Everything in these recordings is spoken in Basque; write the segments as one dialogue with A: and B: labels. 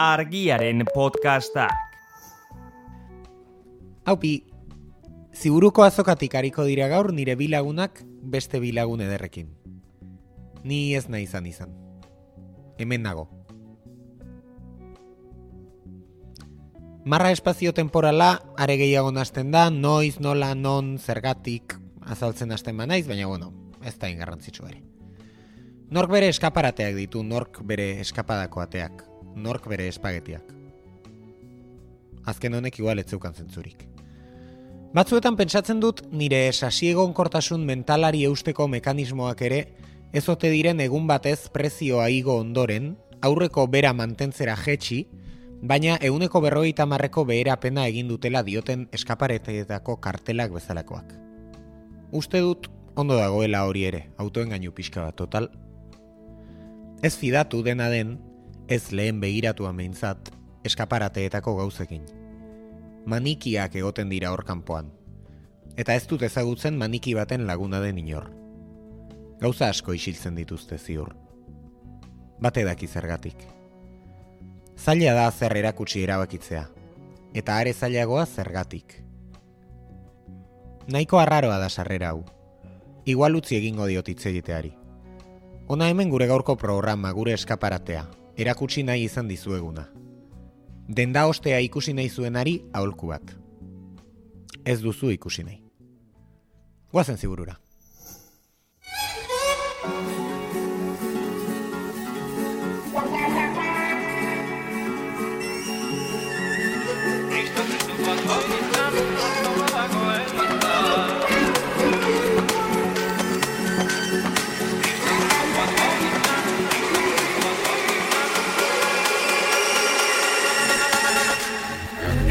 A: Argiaren podcastak.
B: Haupi, Ziburuko azokatik hariko dira gaur nire bi lagunak beste bi lagun ederrekin. Ni ez nahi izan. Hemen nago. Marra espazio-temporala are gehiago nazten da, noiz, nola, non, zergatik azaltzen hasten banaiz, baina ez da ingarrantzitsu ere. Nork bere eskaparateak ditu, nork bere eskapadako ateak, nork bere espagetiak. Azken honek igual ez zeukan zentzurik. Batzuetan pentsatzen dut nire sasiegonkortasun mentalari eusteko mekanismoak ere ez ote diren egun batez prezioa igo ondoren, aurreko bera mantentzera jetxi, baina 150 beherapena egin dutela dioten eskaparetetako kartelak bezalakoak. Uste dut ondo dagoela hori ere, autoengainu pixka bat total. Ez fidatu dena den, ez lehen begiratua meintzat, eskaparateetako gauzekin. Manikiak egoten dira hor kanpoan. Eta ez dut ezagutzen maniki baten laguna den inor. Gauza asko isiltzen dituzte ziur. Bate daki zergatik. Zaila da zer erakutsi erabakitzea. Eta are zailagoa zergatik. Nahiko arraroa da sarrera hau. Igual utzi egingo diot hitz egiteari. Hona hemen gure gaurko programa, gure eskaparatea. Erakutsi nahi izan dizueguna. Denda ostea ikusi nahi zuenari aholku bat. Ez duzu ikusi nahi. Goazen ziburura.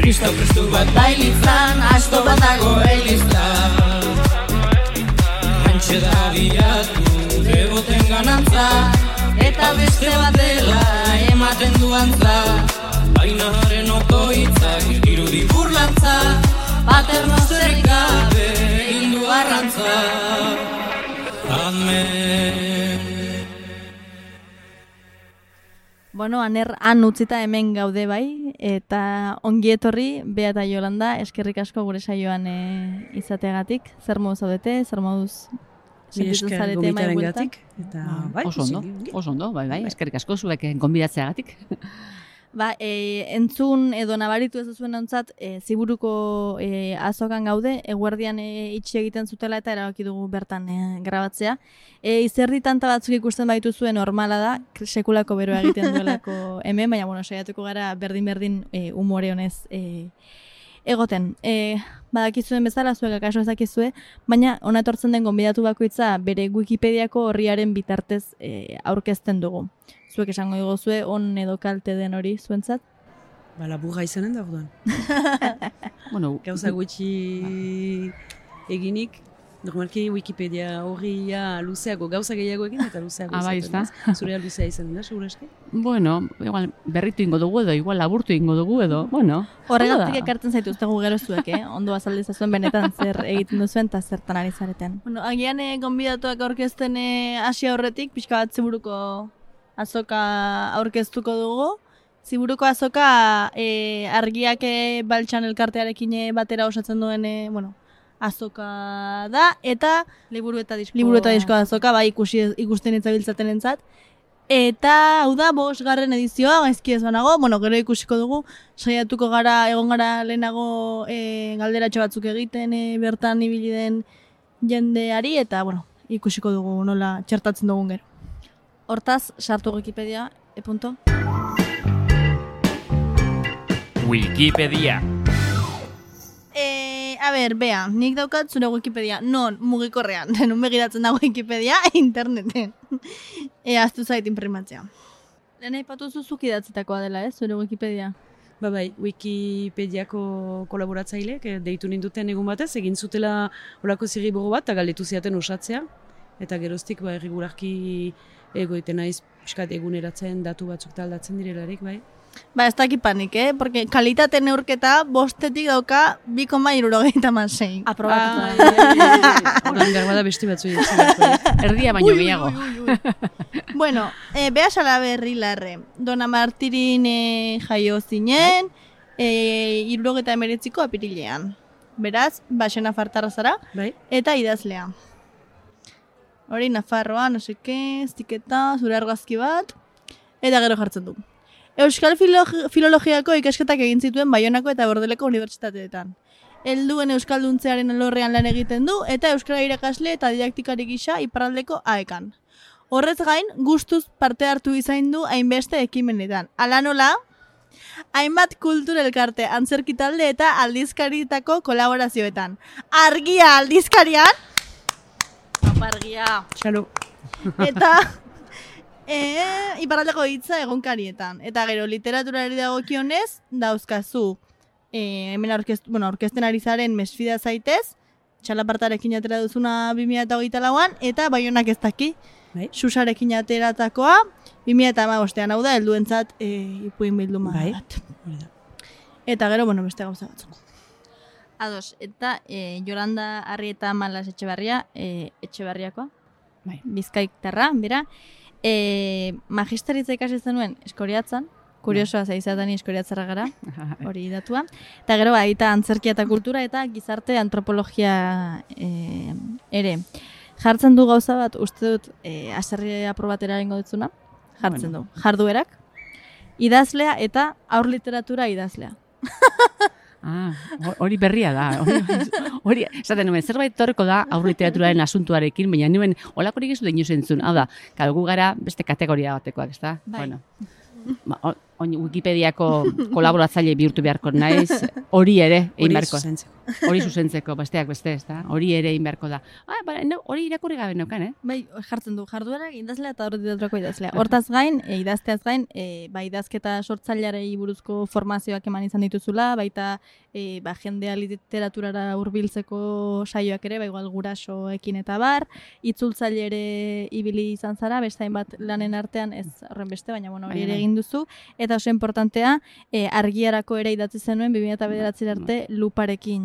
C: Kristo Kristu bat bailitzan, asto bat dago eliztan. Hantxe da bilatu deboten ganantza, eta beste bat dela ematen duantza. Baina haren okoitzak irudi burlantza, paterno zerrik gabe egin du arrantza. Amen.
D: Bueno, Aner han utzita hemen gaude bai, eta ongi etorri Bea eta Jolanda, eskerrik asko gure saioan izateagatik. Zer moduz zaudete, zer moduz sentitu zarete mai bueltan?
E: Eta bai,
F: oso ondo, bai, eskerrik asko zuek gonbidatzeagatik.
D: Entzun edo nabaritu ez duzuen ontzat, Ziburuko azokan gaude, eguerdian itxi egiten zutela eta erabaki dugu bertan grabatzea. Izerdi tanta batzuk ikusten baituzuen normala da, sekulako beroa egiten duelako hemen, baina saiatuko gara berdin umore honez egoten. Badakizuen bezala, zuek akaso ezakizue, baina hona etortzen den gonbidatu bakoitza bere Wikipediako horriaren bitartez aurkezten dugu. Zuek esango diguzue, on edo kalte den hori zuentzat?
E: Laburra izanen da orduan. Gauza gutxi eginik, normalki Wikipedia horria luzeago, gauza gehiago egin eta luzeago izaten. Zurea luzea izanen da, segurazki?
F: Igual berritu ingo dugu edo, igual laburtu ingo dugu edo,
D: Horregatik ekartzen zaituztegu gero zuek, ondo azaldezazuen benetan zer egiten duzuen eta zertan ari zareten. Agian gonbidatuak aurkezten hasi aurretik, pixka bat Ziburuko azoka aurkeztuko dugu. Ziburuko azoka argiak baltsan elkartearekin batera osatzen duen azoka da, eta liburu eta disko azoka, ikusten itzabiltzaten entzat. Eta hau da, 5. edizioa, gaizki ez banago, gero ikusiko dugu, saiatuko egon gara lehenago galderatxo batzuk egiten, bertan ibili den jendeari, eta ikusiko dugu nola txertatzen dugun gero. Hortaz, sartu Wikipedia,
A: Wikipedia.
D: Bea, nik daukat zure Wikipedia, non mugikorrean, denun begiratzen da Wikipedia interneten. Aztu zait imprimatzea. Lehen aipatu zuzuk idatzetakoa dela, zure Wikipedia?
E: Bai, Wikipediako kolaboratzailek deitu ninduten egun batez, egin zutela olako zirribogo bat, eta galdetu ziaten osatzea. Eta geroztik erregularki egoiten naiz Piskat eguneratzen datu batzuk taldatzen direlarik, bai?
D: Ba, ez dakit panik, porque kalitate neurketa 5 dauka 2,76.
E: Aprobatu. Horan behar bada beste batzu
F: erdia baino gehiago.
D: Bueno, behasala berri larre. Dona Martirin jaio zinen, 79ko apirilean. Beraz, basen nafartarra zara, eta idazlea. Hori, Nafarroa, no seke, ziketa, zure argazki bat, eta gero jartzen du. Euskal Filologiako ikasketak egin zituen Baionako eta Bordeleko unibertsitateetan. Helduen euskalduntzearen alorrean lan egiten du eta euskara irakasle eta didaktikari gisa iparraldeko AEkan. Horrez gain, gustuz parte hartu izan du hainbeste ekimenetan. Hala nola, hainbat kultura elkarte, antzerki talde eta aldizkaritako kolaborazioetan. Argia aldizkarian, argia.
E: Txalo.
D: Eta iparraldeko hitza egunkarietan. Eta gero, literaturari dagokionez, dauzkazu, hemen aurkezten ari zaren Mesfida zaitez, txalapartarekin atera duzuna 2024an, eta Baionak ez daki, Susarekin ateratakoa, 2015an, hau da, helduentzat ipuin bilduma bat. Eta gero, beste gauza batzuk. Ados, eta Jolanda Arrieta Malas Etxebarriakoa, Bizkaitarra, bera, magisteritza ikasi zenuen Eskoriatzan, kuriosoa zaizatan Eskoriatzarra gara, hori datua. Eta gero, baita antzerkia eta kultura eta gizarte antropologia ere. Jartzen du gauza bat, uste dut, aserri aprobatera egingo ditzuna, jartzen du. Jarduerak, idazlea eta aur literatura idazlea.
F: Hori berria da. Hori, esaten nuen, zerbait torreko da aur literaturaren asuntuarekin, baina nuen olakorik ez dut inoz entzun. Hau da, gu gara beste kategoria batekoak, ez da? Bueno, Wikipediako kolaboratzaile bihurtu beharko naiz, hori ere egin beharko. Hori zuzentzeko, besteak beste, ez da? Hori ere egin beharko da. Hori irakurri gabe neukan,
D: Bai, jartzen du, jarduerak idazlea eta horretidaturako idazlea. Hortaz gain, idazteaz gain, idazketa sortzailearei buruzko formazioak eman izan dituzula, baita jendea literaturara hurbiltzeko saioak ere, igual gurasoekin eta bar, itzultzaile ere ibili izan zara, beste hainbat lanen artean, ez horren beste, baina hori ere egin duzu, eta oso importantea, argiarako ere idatzi zenuen 2009 arte luparekin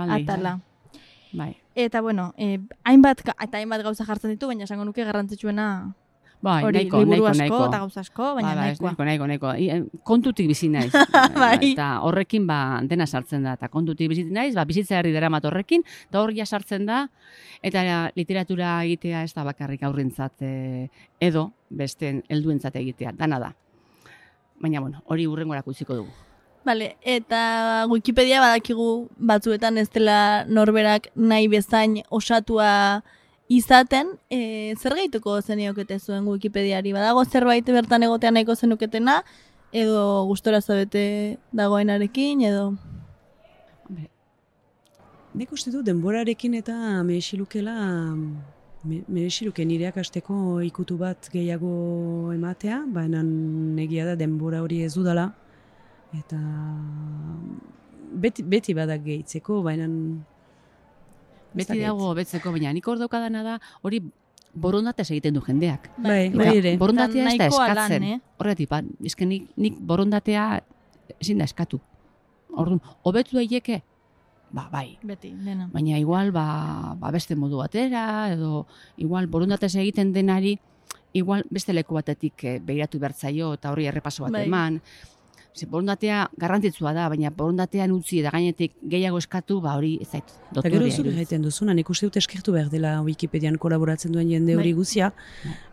D: atala. Eta hainbat gauza jartzen ditu, baina esango nuke garrantzitsuena hori liburu asko eta gauza asko, baina
F: nahikoa. Kontutik bizi naiz. Eta horrekin dena sartzen da. Eta kontutik bizi naiz, bizitzeari daramat horrekin, eta hor sartzen da, eta literatura egitea ez da bakarrik aurrentzat edo besteen helduentzat egitea, dana da. Baina, hori hurrengorako utziko dugu.
D: Vale, eta Wikipedia badakigu batzuetan ez dela norberak nahi bezain osatua izaten, zer gehituko zeniokete zuen Wikipediari? Badago zerbait bertan egotean nahiko zenuketena, edo gustora zabete dagoenarekin, edo?
E: Nik uste du denborarekin eta mereziluke nireak asteko ikutu bat gehiago ematea, baina negia da denbora hori ez dudala. Eta beti badak gehitzeko, baina...
F: Beti dago betzeko, baina nik hor daukadana da, hori borondatez egiten du jendeak.
E: Bai, ere.
F: Borondatea ez da eskatzen. Horretik, nik borondatea ezin da eskatu. Orduan, hobetu daileke? Bai.
D: Beti, dena.
F: Baina igual, beste modu batera, edo igual borondatez egiten denari, igual beste leku batetik begiratu bertzaio eta horri errepaso bat eman. Borondatea garrantzitsua da, baina borondatean utzi eta gainetik gehiago eskatu, hori ez zait dotorea.
E: Eta gero zure gaiten duzuna, nik uste dut eskertu behar dela Wikipedian kolaboratzen duen jende hori guzia,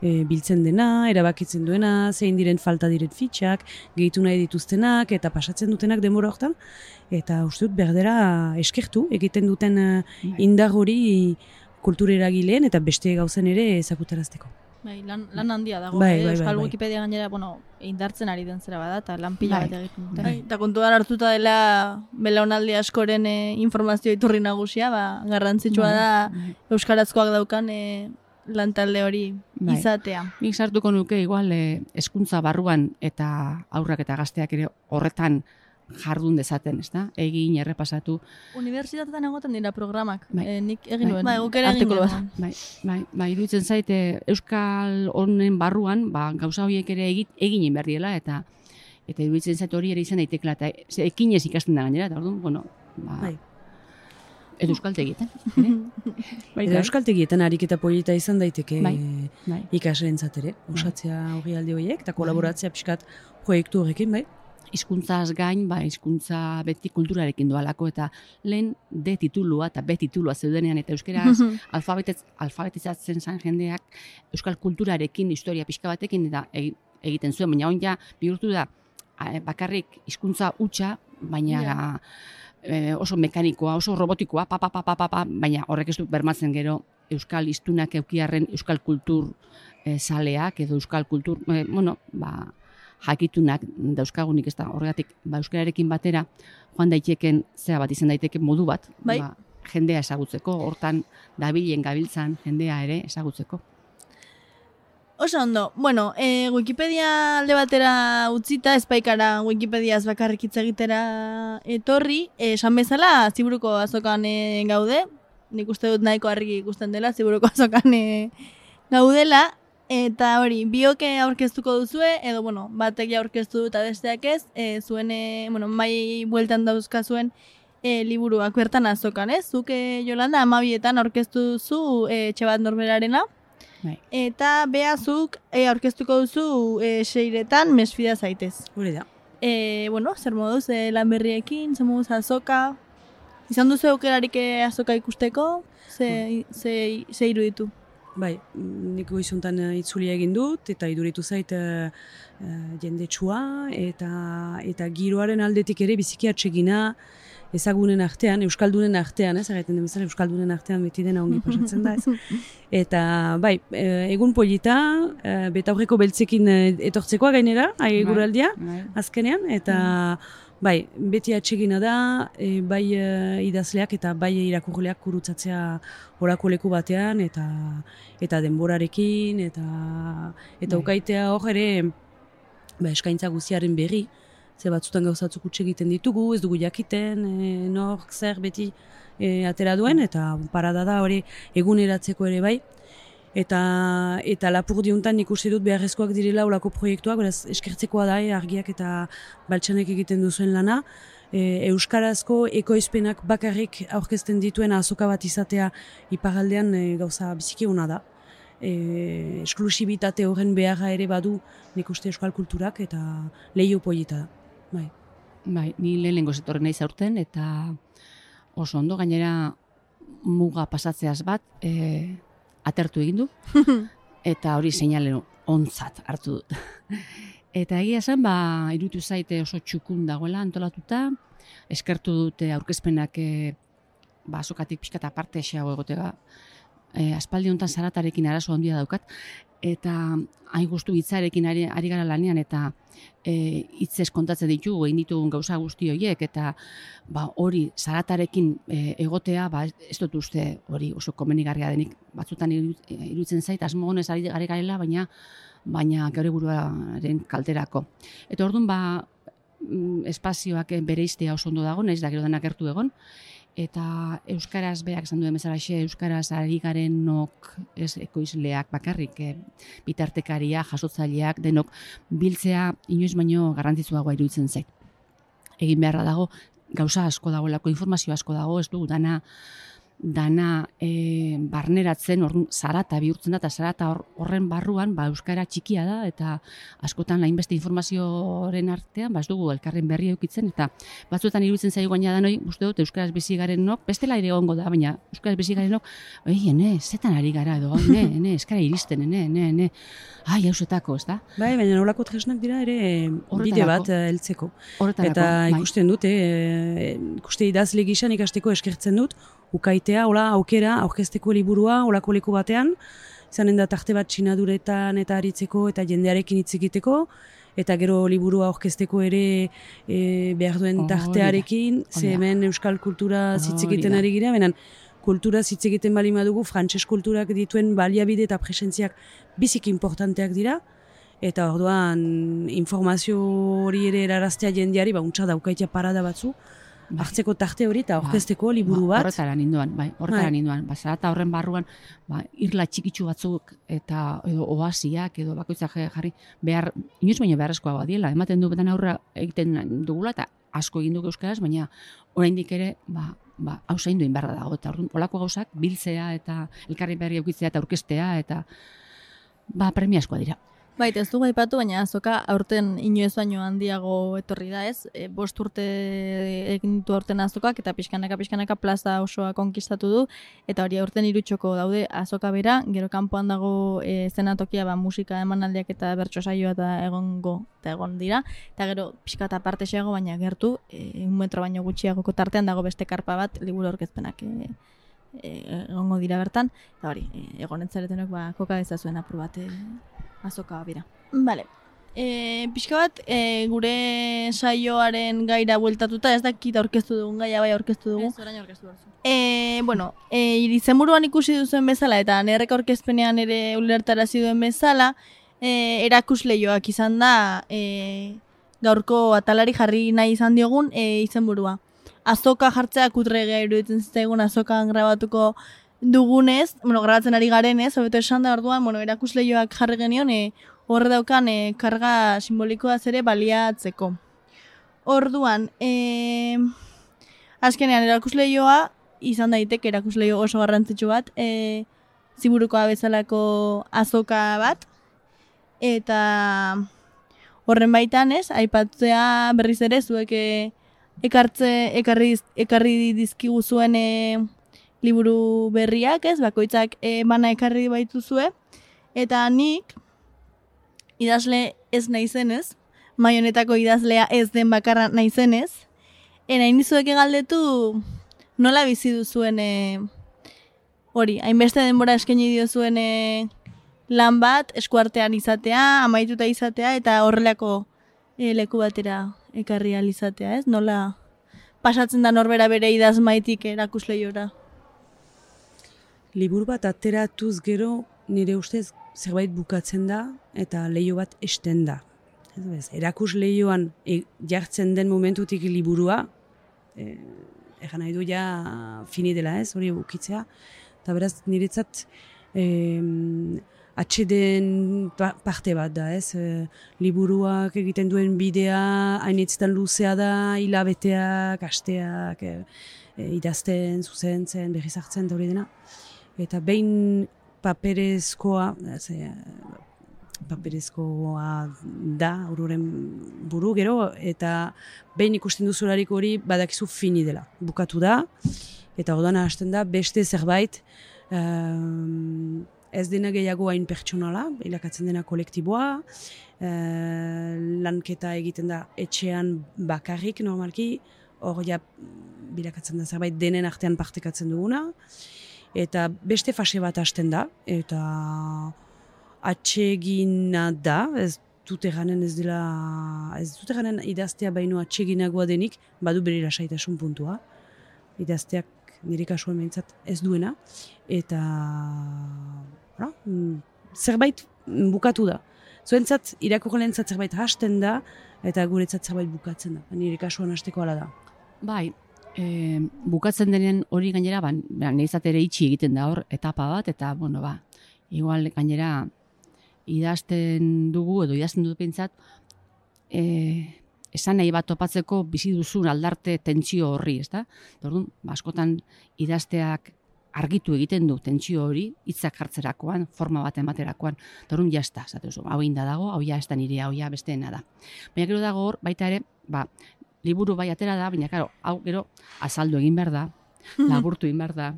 E: biltzen dena, erabakitzen duena, zein diren falta diren fitxak, gehitu nahi dituztenak eta pasatzen dutenak denbora hortan, eta uste dut berdera eskertu egiten duten indar hori kultureragileen eta beste gauzen ere ezakutarazteko.
D: Lan handia dago, Euskal Wikipedia gainera, indartzen ari den zera bada, eta lan pila bat egiten dute. Eta kontuan hartuta dela belaunaldi askoren informazio iturri nagusia, garrantzitsua da euskarazkoak daukan lantalde hori izatea.
F: Nik sartuko nuke igual hezkuntza barruan eta aurrak eta gazteak ere horretan jardun dezaten, ezta? Egin, errepasatu.
D: Unibertsitatetan egoten dira programak.
F: Nik egin nuen. Guk ere egin nuen. Iruditzen zaite Euskal honen barruan, gauza horiek ere egin behar diela, eta iruditzen zaite hori ere izan daitekela, eta ekinez ikasten da gainera, eta orduan, bueno, edo euskaltegietan.
E: Edo euskaltegietan ariketa polita izan daiteke ikaslerentzat ere, osatzea hori alde horiek, eta kolaboratzea pixkat proiektu horrekin, bai?
F: Hizkuntzaz gain, hizkuntza beti kulturarekin doalako, eta lehen D titulua eta B titulua zeudenean, eta euskeraz alfabetizatzen zan jendeak euskal kulturarekin, historia pixka batekin, eta egiten zuen, baina hon ja bihurtu da bakarrik hizkuntza hutsa, baina oso mekanikoa, oso robotikoa, baina horrek ez du bermatzen gero euskal hiztunak eukiarren euskal kultur zaleak edo euskal kultur, jakitunak dauzkagunik, ez da horregatik euskararekin batera joan daiteken zera bat izan daiteke modu bat, jendea ezagutzeko, hortan dabilen gabiltzan jendea ere ezagutzeko.
D: Oso ondo. Bueno, Wikipedia alde batera utzita, espaikara Wikipediaz bakarrik hitz egitera etorri, esan bezala, Ziburuko azokan gaude, nik uste dut nahiko argi ikusten dela, Ziburuko azokan gaudela, eta hori, bioke aurkeztuko duzue, edo, batek aurkeztu dut eta besteak ez, zuen, mai bueltan dauzka zuen liburuak bertan azokan, ez? Zuke, Jolanda, 12etan aurkeztu duzu Etxebat Norberarena, eta behazuk aurkeztuko duzu 6etan Mesfida zaitez.
E: Hori da.
D: Zer moduz lan berriekin, zer moduz azoka? Izan duzu aukerarik azoka ikusteko? Ze iruditu?
E: Bai, nik goizuntan itzulia egin dut, eta iduritu zait jendetsua, eta giroaren aldetik ere biziki atsegina, ezagunen artean, euskaldunen artean, egiten den bezala euskaldunen artean beti dena ongi pasatzen da, ez? Eta, bai, egun polita, betaurreko beltzekin etortzekoa gainera, guraldia, azkenean, eta, bai, beti atsegina da, bai idazleak eta bai irakurleak kurutzatzea horako leku batean, eta denborarekin, eta ukaitea hor ere, eskaintza guziaren berri, ze batzutan gauzatzuk utxe egiten ditugu, ez dugu jakiten, nork zer beti atera duen, eta parada da hori eguneratzeko ere bai. Eta lapur diuntan ikusi dut beharrezkoak direla olako proiektuak, beraz eskertzekoa da, argiak eta baltsanek egiten duzuen lana. Euskarazko ekoizpenak bakarrik aurkezten dituen azoka bat izatea iparraldean gauza biziki ona da. Esklusibitate horren beharra ere badu nik uste euskal kulturak eta lehio polita da.
F: Bai, ni lehenengo zetorren naiz aurten, eta oso ondo, gainera muga pasatzeaz bat atertu egin du, eta hori seinale ontzat hartu dut. Eta egia zen, iruditu zaite oso txukun dagoela antolatuta, eskertu dute aurkezpenak azokatik pixkat aparte esago egotega, aspaldi honetan zaratarekin arazo handia daukat, eta hain guztu hitzarekin ari gara lanean, eta hitzez kontatzen ditugu, egin ditugun gauza guzti horiek, eta hori zaratarekin egotea, ez dut uste hori oso komenigarria denik, batzutan iruditzen zait, asmo honez ari garela, baina gaur buruaren kalterako. Eta orduan, espazioak bereiztea oso ondo dago, naiz da gero denak gertu egon, eta euskaraz berak esan duen bezalaxe, euskaraz ari garenok ez ekoizleak bakarrik, bitartekaria, jasotzaileak, denok biltzea inoiz baino garrantzitsuagoa iruditzen zait. Egin beharra dago, gauza asko dagoelako, informazio asko dago, ez du, dana barneratzen, zarata bihurtzen da, eta zarata horren barruan euskara txikia da, eta askotan hainbeste informazioaren artean, ez dugu elkarren berri eukitzen, eta batzuetan iruditzen zaigu gaina da noi, uste dut, euskaraz bizi garenok, bestela ere egongo da, baina euskaraz bizi garenok, zetan ari gara edo, eskara iristen, hausetako, ez da?
E: Bai, baina nolako tresnak dira ere bide bat heltzeko. Eta ikusten dut, ikuste idazle gisan ikasteko eskertzen dut, ukaitea, aukera, aurkezteko liburua, olako leku batean, izanen da tarte bat sinaduretan eta aritzeko eta jendearekin hitz egiteko, eta gero liburua aurkezteko ere behar duen tartearekin, ze hemen euskal kultura hitz egiten ari gira, benen kultura hitz egiten bali madugu, frantses kulturak dituen baliabide eta presentziak biziki importanteak dira, eta orduan informazio hori ere eraraztea jendeari, untsa daukaitea parada batzu, hartzeko tarte hori eta orkesteko liburu bat.
F: Horretara ninduan. Zarata horren barruan, irla txikitsu batzuk eta edo oasiak edo bakoitzak jarri behar, inoiz baino beharrezkoa badiela, ematen du betan aurra egiten dugula eta asko egin dugu euskaraz, baina oraindik ere, hau zaindu inbarra dago, eta olako gauzak biltzea eta elkarri berri eukitzea eta aurkestea eta premiazkoa dira.
D: Baita, ez dugu aipatu, baina azoka aurten inoiz baino handiago etorri da, ez? 5 urte egin ditu aurten azokak eta pixkanaka plaza osoa konkistatu du, eta hori aurten 3 txoko daude azoka bera, gero kanpoan dago zenatokia musika emanaldiak eta bertso saioa eta egon dira, eta gero pixka eta parte xeago, baina gertu, 1 metro baino gutxiagoko tartean dago beste karpa bat, liburu aurkezpenak egongo dira bertan, eta hori, egon entzaretenok koka dezazuen apur bat azoka bera. Bale. Pixka bat, gure saioaren gaira bueltatuta, ez dakit aurkeztu dugun gaia bai aurkeztu dugu.
E: Ez, orain aurkeztu dugu.
D: Bueno, izenburuan ikusi duzuen bezala, eta nerrek aurkezpenean ere ulertarazi duen bezala, erakusleioak izan da gaurko atalari jarri nahi izan diogun izenburua. Azoka jartzea kutrega iruditzen zitzaigun azokan grabatuko dugunez, grabatzen ari garenez, hobeto esan da orduan, erakusleioak jarri genion, horre daukan karga simbolikoaz ere baliatzeko. Orduan, azkenean erakusleioa izan daiteke erakusleio oso garrantzitsu bat, ziburukoa bezalako azoka bat, eta horren baitan ez, aipatzea berriz ere zuek ekarri dizkigu zuen liburu berriak, ez, bakoitzak bana ekarri baituzue, eta nik idazle ez naizenez, mai honetako idazlea ez den bakarra naizenez, nahi nizueke galdetu nola bizi duzuen hori, hainbeste denbora eskaini diozuen lan bat, eskuartean izatea, amaituta izatea, eta horrelako leku batera ekarri alizatea, ez? Nola pasatzen da norbera bere idazmaitik erakusleiora?
E: Liburu bat ateratuz gero nire ustez zerbait bukatzen da eta leiho bat esten da. Erakus lehioan jartzen den momentutik liburua, egan nahi du ja fini dela ez, hori bukitzea. Eta beraz niretzat atxeden parte bat da ez. Liburuak egiten duen bidea, hainitzetan luzea da, hilabeteak, asteak, idazten, zuzentzen, berriz hartzen da hori dena. Eta behin paperezkoa da, auroren buru gero, eta behin ikusten duzularik hori badakizu fini dela. Bukatu da, eta odana hasten da beste zerbait ez dena gehiago hain pertsonala, ilakatzen dena kolektiboa, lanketa egiten da etxean bakarrik normalki, hor ja bilakatzen da zerbait denen artean partekatzen duguna, eta beste fase bat hasten da, eta atsegina da, ez dut eganen idaztea baino atseginagoa denik, badu bere lasaitasun puntua. Idazteak nire kasuan behintzat ez duena, eta zerbait bukatu da. Zuentzat, irakurlentzat zerbait hasten da, eta guretzat zerbait bukatzen da. Nire kasuan hasteko hala da.
F: Bai, bukatzen denen hori gainera, nahizat ere itxi egiten da hor, etapa bat, eta, igual gainera idazten dugu, edo idazten dut pentsat, esan nahi bat topatzeko bizi duzun aldarte tentsio horri, ezta? Orduan, askotan idazteak argitu egiten du tentsio hori, hitzak jartzerakoan, forma bat ematerakoan, orduan jazta, hau inda dago, hau ja ez da nire, hau ja besteena da. Baina gero dago hor, baita ere, liburu bai atera da, baina karo, hau gero azaldu egin behar da, laburtu egin behar da,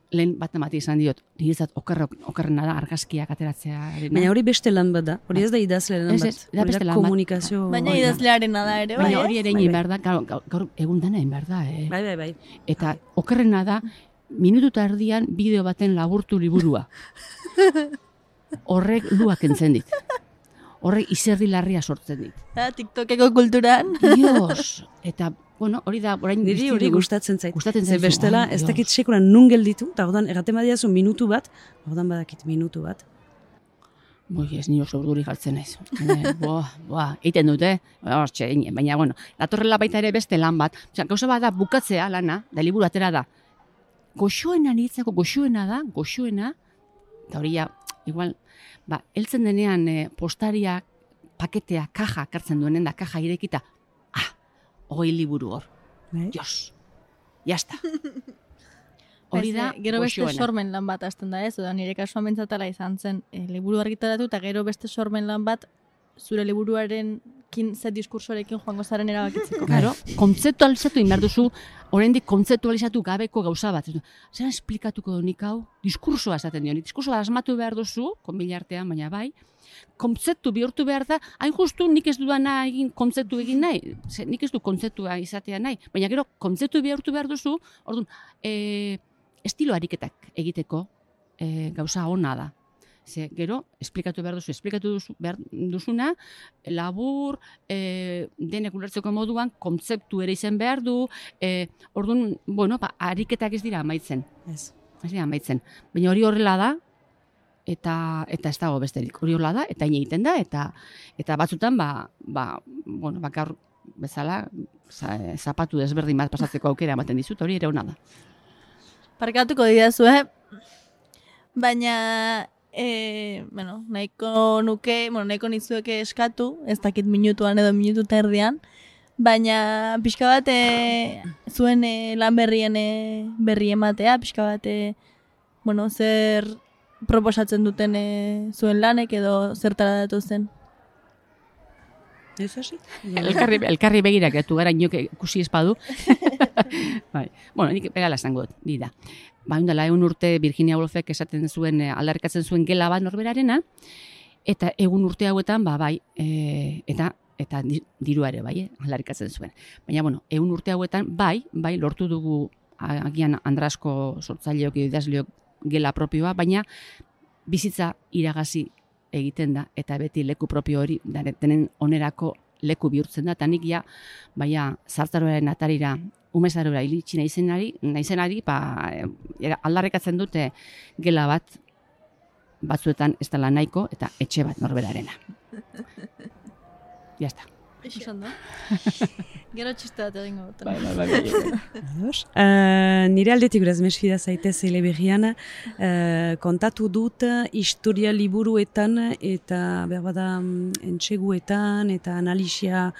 F: lehen bat emati izan diot, niretzat okerrena da argazkiak ateratzea.
E: Baina hori beste lan bat da, hori ez da idazle lan bat, hori da komunikazio.
D: Baina idazlearena da ere, bai.
F: Baina hori ere egin behar da, gaur egun dana egin behar da.
E: Bai.
F: Eta okerrena da, minututa erdian bideo baten laburtu liburua. Horrek luak entzen dit. Horrek izerdi larria sortzen dit.
D: TikTokeko kulturan.
F: Dios! Eta, hori da, orain
E: niri hori gustatzen zait.
F: Gustatzen zaizu.
E: Bestela, ez dakit sekuran nun gelditu, eta ordan erraten badiazu minutu bat, ordan badakit minutu bat.
F: Ez nio urduri galtzen naiz. Eiten dute, baina, bueno, datorrela baita ere beste lan bat. Gauza bat da, bukatzea lana, da liburu atera da. Goxoena niretzako, goxoena, eta hori ja, igual, heltzen denean postaria, paketea, kaja, kartzen duenen da, kaja irekita, 20 liburu hor. Dios, jazta. Hori da,
D: gero beste sormen lan bat hasten da ez, oda nire kasuan bentsatala izan zen liburu argitaratu eta gero beste sormen lan bat zure liburuaren ze diskursoarekin joango zaren erabakitzeko.
F: Claro, kontzeptualizatu inbar duzu, oraindik kontzeptualizatu gabeko gauza bat. Zer esplikatuko nik hau? Diskursoa esaten dio. Diskursoa asmatu behar duzu, konbila artean, baina bai, kontzeptu bihurtu behar da, hain justu nik ez dudana egin kontzeptu egin nahi, nik ez du kontzeptua izatea nahi, baina gero kontzeptu bihurtu behar duzu, orduan, estilo ariketak egiteko gauza ona da. Gero, esplikatu behar duzuna, labur, denek ulertzeko moduan, kontzeptu ere izen behar du, orduan, ariketak ez dira amaitzen. Ez dira amaitzen. Baina hori horrela da, eta ez dago besterik. Hori horrela da, eta egiten da, eta batzutan, gaur bezala, zapatu desberdin bat pasatzeko aukera ematen dizut, hori ere ona da.
D: Parkatuko didazu, baina, nahiko nizueke eskatu, ez dakit minutuan edo minutu terdian, baina pixka bat zuen lan berri ematea, pixka bat, zer proposatzen duten zuen lanek edo zertara datu zen.
E: Ez hasi?
F: Elkarri begirak etu gara inok ikusi espadu. Nik begala esango dut, di da. Ondala, 1 urte Virginia Woolfek esaten zuen, aldarrikatzen zuen gela bat norberarena, eta egun urte hauetan, eta dirua ere, aldarrikatzen zuen. Baina, 1 urte hauetan, lortu dugu, agian Andrasko sortzaileok edo idazleok gela propioa, baina bizitza iragazi egiten da, eta beti leku propio hori denen onerako leku bihurtzen da, eta nik zartaroaren atarira, umezarora ilitsi naizenari, aldarrikatzen dute gela bat, batzuetan ez dela nahiko, eta etxe bat norberarena. Jazta.
D: Gero txiste bat egingo dut.
E: Nire aldetik uraz mesfida zaitez eleberrian, kontatu dut historia liburuetan eta berbada entseguetan eta analisia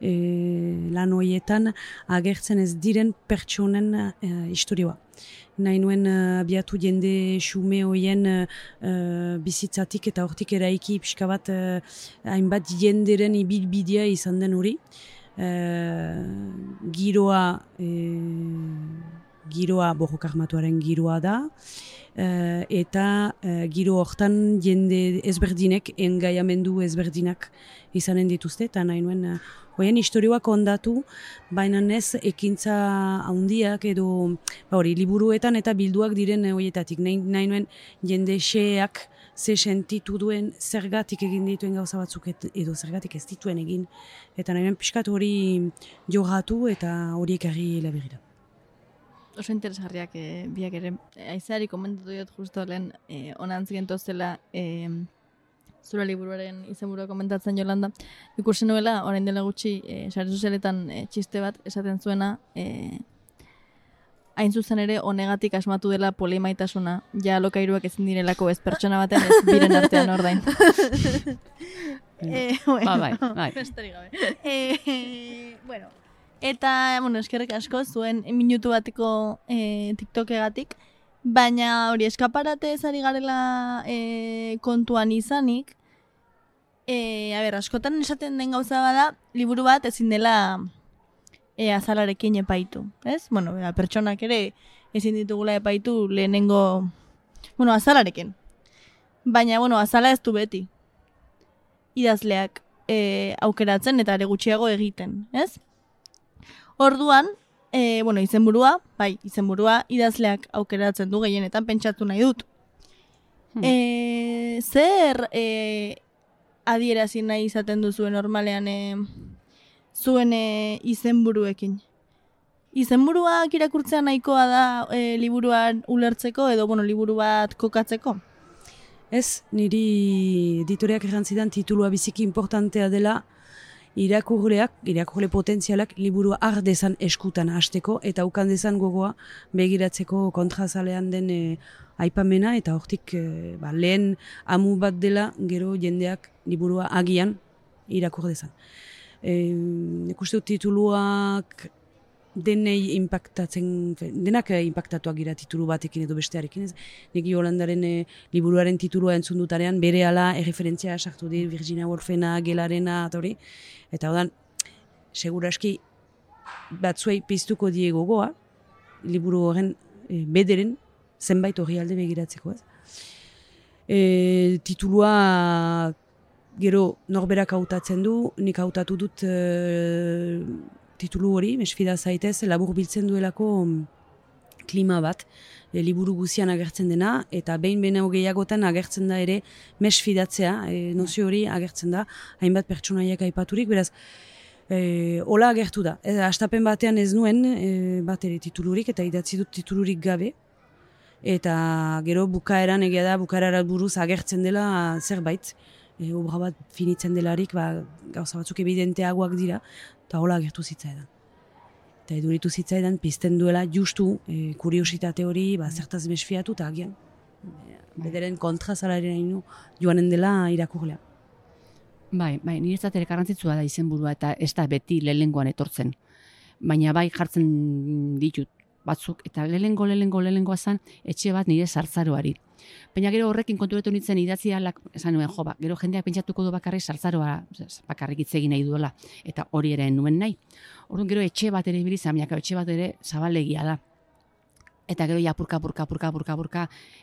E: lan horietan agertzen ez diren pertsonen historioa. Nahi nuen abiatu jende xume hoien bizitzatik eta hortik eraiki pixka bat hainbat jenderen ibilbidea izan den hori. Giroa borroka armatuaren giroa da, eta giro hortan jende ezberdinek, engaiamendu ezberdinak izanen dituzte, eta nahi nuen hoien historioak ondatu, baina ez ekintza handiak edo liburuetan eta bilduak diren horietatik. Nahi nuen jende xeak ze sentitu duen zergatik egin dituen gauza batzuk edo zergatik ez dituen egin. Eta nahi nuen pixkat hori jorratu eta horiek argi laberira.
D: Oso interesgarriak biak ere. Aizeari komentatu dut justo lehen onantzien tozela zure liburuaren izenburua komentatzen Jolanda. Ikusi nuela, orain dela gutxi, sare sozialetan txiste bat esaten zuena, hain zuzen ere honegatik asmatu dela polimaitasuna, ja alokairuak ezin direlako ez pertsona baten ez biren artean ordain.
F: Bai.
D: Besterik gabe. Eta, eskerrik asko zuen minutu bateko TikTokegatik, baina hori eskaparate ezari garela kontuan izanik, askotan esaten den gauza bada, liburu bat ezin dela azalarekin epaitu, ez? Pertsonak ere ezin ditugula epaitu lehenengo, azalarekin. Baina, azala ez du beti. Idazleak aukeratzen eta ere gutxiago egiten, ez? Orduan, izenburua idazleak aukeratzen du gehienetan pentsatu nahi dut. Zer adierazi nahi izaten duzuen normalean zuen izenburuekin? Izenburuak irakurtzea nahikoa da liburuan ulertzeko edo liburu bat kokatzeko?
E: Ez, niri editoreak errantzidan titulua biziki importantea dela irakurle potentzialak liburua har dezan eskutan hasteko eta ukan dezan gogoa begiratzeko kontrazalean den aipamena eta hortik lehen amu bat dela gero jendeak liburua agian irakur dezan. Ikuste dut tituluak denak impactatuak gira titulu batekin edo bestearekin. Nik Jolandaren liburuaren titulua entzun dutarean berehala erreferentzia sartu dir Virginia Woolfena, Gelarena eta hori. Eta odan, seguraski batzuei piztuko die gogoa, liburu horren bederen zenbait orrialde begiratzeko, ez? Titulua gero norberak hautatzen du, nik hautatu dut titulu hori, mesfida zaitez, labur biltzen duelako klima bat, liburu guzian agertzen dena, eta behin gehiagotan agertzen da ere mesfidatzea, nozio hori agertzen da, hainbat pertsonaiak aipaturik, beraz, hola agertu da. Astapen batean ez nuen bat ere titulurik, eta idatzi dut titulurik gabe, eta gero bukaeran egia da, bukaerara buruz agertzen dela zerbait, obra bat finitzen delarik, gauza batzuk evidenteagoak dira, eta hola agertu zitzaidan. Eta eduritu zitzaidan, pizten duela justu kuriositate hori, zertaz mesfiatu, eta agian, bederen kontrazalaren joanen dela irakurlea.
F: Bai, niretzat ere garrantzitsua da izenburua eta ez da beti lehengoan etortzen. Baina bai jartzen ditut batzuk, eta lehengoa zen etxe bat nire sartzaroari. Baina gero horrekin konturatu nintzen idatzialak, esan nuen, gero jendeak pentsatuko du bakarrik sartzaroa bakarrik hitz egin nahi duela, eta hori ere nuen nahi. Orduan gero etxe bat ere ibilizan, etxe bat ere zabalegia da. Eta gero ja purka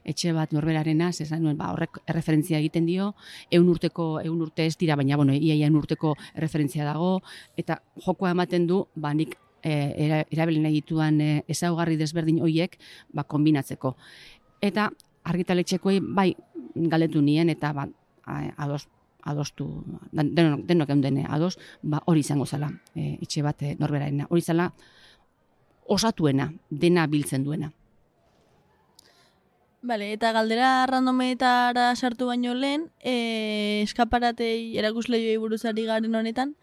F: etxe bat norberarena, esan nuen, horrek erreferentzia egiten dio, 100 urte ez dira, baina ia 100 urteko erreferentzia dago, eta jokoa ematen du, nik erabili nahi dituan ezaugarri desberdin horiek konbinatzeko. Eta argitaletxekoei bai galdetu nien eta adostu, denok eundene ados, hori izango zela, etxe bat norberarena. Hori zela osatuena, dena biltzen duena.
D: Bale, eta galdera randometara sartu baino lehen, eskaparatei erakusleioi buruzari garen honetan,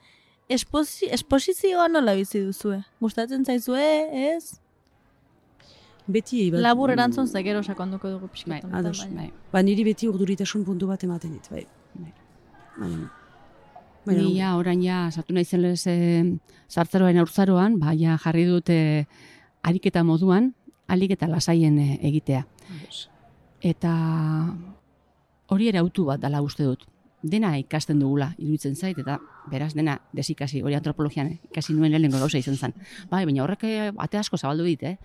D: esposizioa nola bizi duzue? Gustatzen zaizue, ez?
E: Beti
D: labur erantzun zekero sakonduko dugu pixkat.
E: Niri beti urduritasun puntu bat ematen dit, bai.
F: Ni orain sartu nahi zen sartzaroan aurtzaroan, jarri dut ariketa moduan, alik eta lasaien egitea. Eta hori ere autu bat dela uste dut. Dena ikasten dugula, iruditzen zait, eta beraz dena desikasi, hori antropologian ikasi nuen lehenengo gauza izan zen. Baina horrek ate asko zabaldu dit,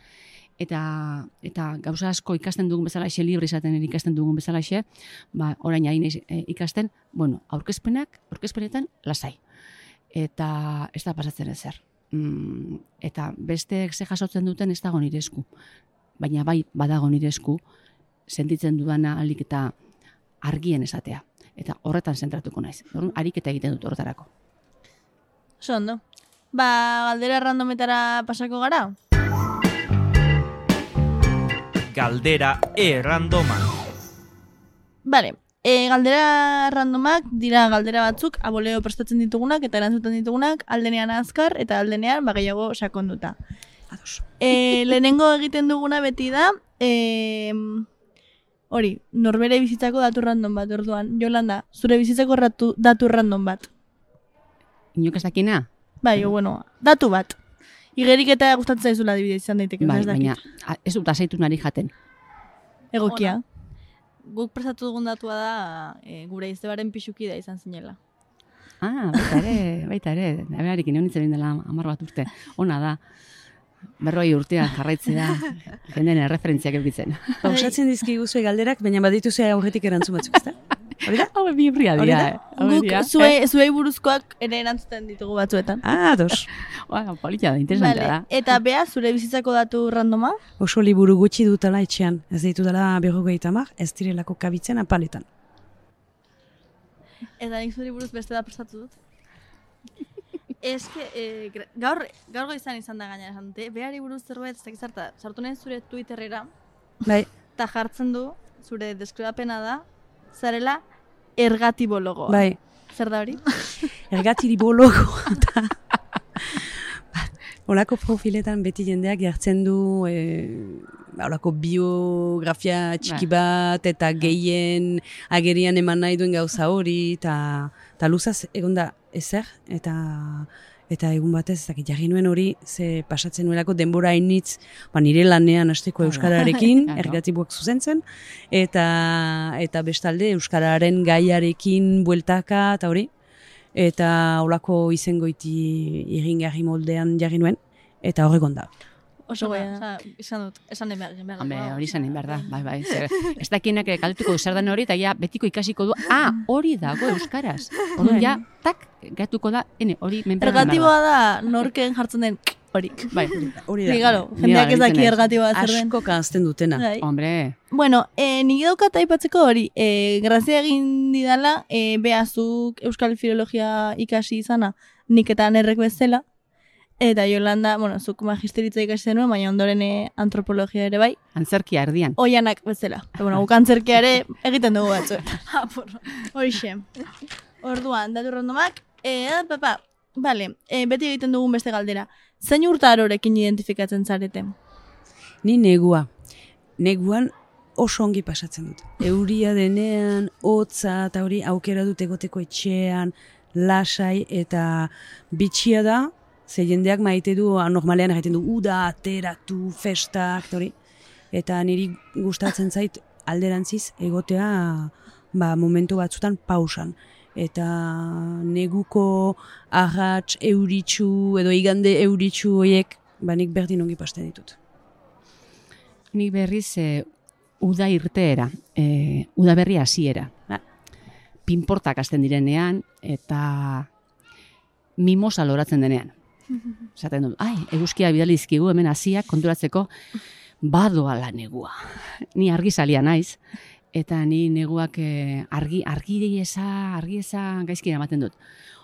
F: Eta gauza asko ikasten dugun bezalaxe, libre izaten ikasten dugun bezalaxe, orain ari ikasten, aurkezpenetan lasai. Eta ez da pasatzen ezer. Eta besteek ze jasotzen duten ez dago nire esku. Baina bai badago nire esku, sentitzen dudana alik eta argien esatea. Eta horretan zentratuko naiz. Ariketa egiten dut horretarako.
D: Ondo. Galdera randometara pasako gara?
A: Galdera randoma.
D: Bale, galdera randomak dira galdera batzuk, aboleo prestatzen ditugunak eta erantzuten ditugunak, aldenean azkar eta aldenean gehiago sakonduta. Lehenengo egiten duguna beti da, hori, norbere bizitzako datu random bat, orduan. Jolanda, zure bizitzako datu random bat.
F: Inok ez dakina?
D: Bai, datu bat. Igerik eta gustatzen zaizula adibidez izan daiteke.
F: Bai, baina ez dut azeitu nari jaten.
D: Egokia. Guk prestatu dugun datua da gure iztebaren pixuki da izan zinela.
F: Baita ere. Aberarik neonitzen dela 10 bat urte. Ona da. 40 urtean jarraitzea jenden erreferentziak eukitzen.
E: Pausatzen dizkiguzue galderak, baina badituzue aurretik erantzun batzuk, ezta? Hori da?
F: Hau bibria dira.
D: Guk zuei buruzkoak ere erantzuten ditugu batzuetan.
E: Dos.
F: Polita da, interesantea da.
D: Eta bea, zure bizitzako datu randoma?
E: Oso liburu gutxi dutala etxean. Ez ditutala 50, ez direlako kabitzen apaletan.
D: Eta nik zure buruz beste da prestatu dut. Gaur izan da gaina esan dute, behari buruz zerbait, sartu nahi zure Twitterera,
E: bai.
D: Eta jartzen du, zure deskribapena da, zarela ergatibologoa.
E: Bai.
D: Zer da hori?
E: Ergatibologo. Olako profiletan beti jendeak jartzen du olako biografia txiki bat eta gehien agerian eman nahi duen gauza hori eta luzaz egon da ezer eta egun batez jarri nuen hori ze pasatzen nuelako denbora hainitz nire lanean hasteko euskararekin ergatiboak zuzentzen eta bestalde euskararen gaiarekin bueltaka eta hori eta olako izengoiti iringarri moldean jarri nuen, eta horrekon da.
D: Oso goia, esan dut, esan den behar.
F: Hori esan den behar da, bai. Ez dakienak kalituko du zer den hori, eta ja betiko ikasiko du, hori dago euskaraz. Orduan ja, tak, gatuko da, hori menperan behar da.
D: Ergatiboa da, norken jartzen den horik.
F: Bai,
E: hori da.
D: Bigaro, jendeak ez daki ergatiboa zer den.
E: Asko kanzten dutena.
F: Hombre.
D: Bueno, nik daukat aipatzeko hori, grazia egin didala, behazuk Euskal Filologia ikasi izana, nik eta anerrek bezala, eta Jolanda, zuk magisteritza ikasi zenuen, baina ondoren antropologia ere bai.
F: Antzerkia erdian.
D: Oianak bezala. Guk antzerkia ere egiten dugu batzu. Horixe. Orduan, datu randomak, bale, beti egiten dugun beste galdera. Zein urtarorekin identifikatzen zarete?
E: Ni negua. Neguan oso ongi pasatzen dut. Euria denean, hotza eta hori aukera dut egoteko etxean, lasai eta bitxia da, ze jendeak maite du, normalean egiten du, uda, ateratu, festak, hori. Eta niri gustatzen zait alderantziz egotea momentu batzutan pausan. Eta neguko arrats euritsu edo igande euritsu horiek, nik berdin ongi pasten ditut.
F: Nik berriz uda irteera, uda berri hasiera. Pinportak hasten direnean eta mimosa loratzen denean. Zaten dut, eguzkia bidalizkigu hemen hasiak konturatzeko badoala negua. Ni argizalia naiz. Eta ni neguak argi eza gaizkira ematen dut.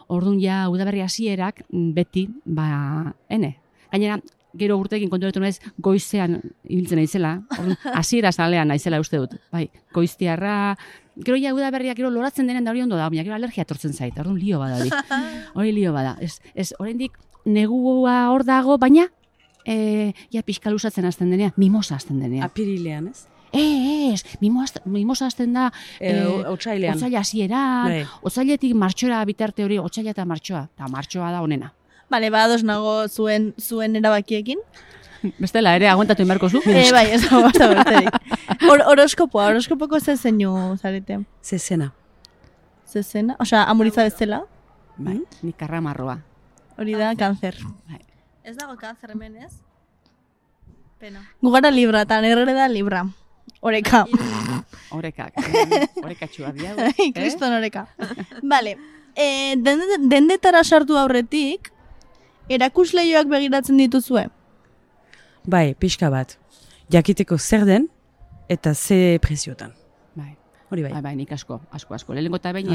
F: Orduan ja udaberri hasierak beti, gainera, gero urteekin konturatu naiz goizean ibiltzen naizela, orduan hasiera zalean naizela uste dut. Bai, goiztiarra, gero ja udaberriak gero loratzen denen da hori ondo da, baina gero alergia etortzen zait, orduan lio bada hori. Hori lio bada. Ez oraindik negua hor dago, baina ja pixka luzatzen hasten denean, mimosa hasten denean.
E: Apirilean, ez?
F: Mimosa hasten da
E: otsailean.
F: Otsaila hasieran, otsailetik martxora bitarte hori, otsaila eta martxoa da honena.
D: Bale, ados nago zuen erabakiekin.
F: Bestela ere, aguantatu inbarko zu?
D: Bai, ez dago basta berterik. Horoskopoko zezeinu zarete?
E: Zezena.
D: Zezena? Osea, amuritza bezala?
F: Bai, nik karramarroa.
D: Hori da, kanzer.
F: Bai.
D: Ez dago kanzer hemen, ez? Pena. Gugara libra, eta nerre da libra. Oreka.
F: Orekak. Orekatxua dia.
D: Kriston oreka. Bale. Dendetara sartu aurretik, erakusleioak begiratzen dituzue?
E: Bai, pixka bat. Jakiteko zer den eta ze preziotan.
F: Bai.
E: Hori bai.
F: Bai, nik asko. Lehenengo eta behin,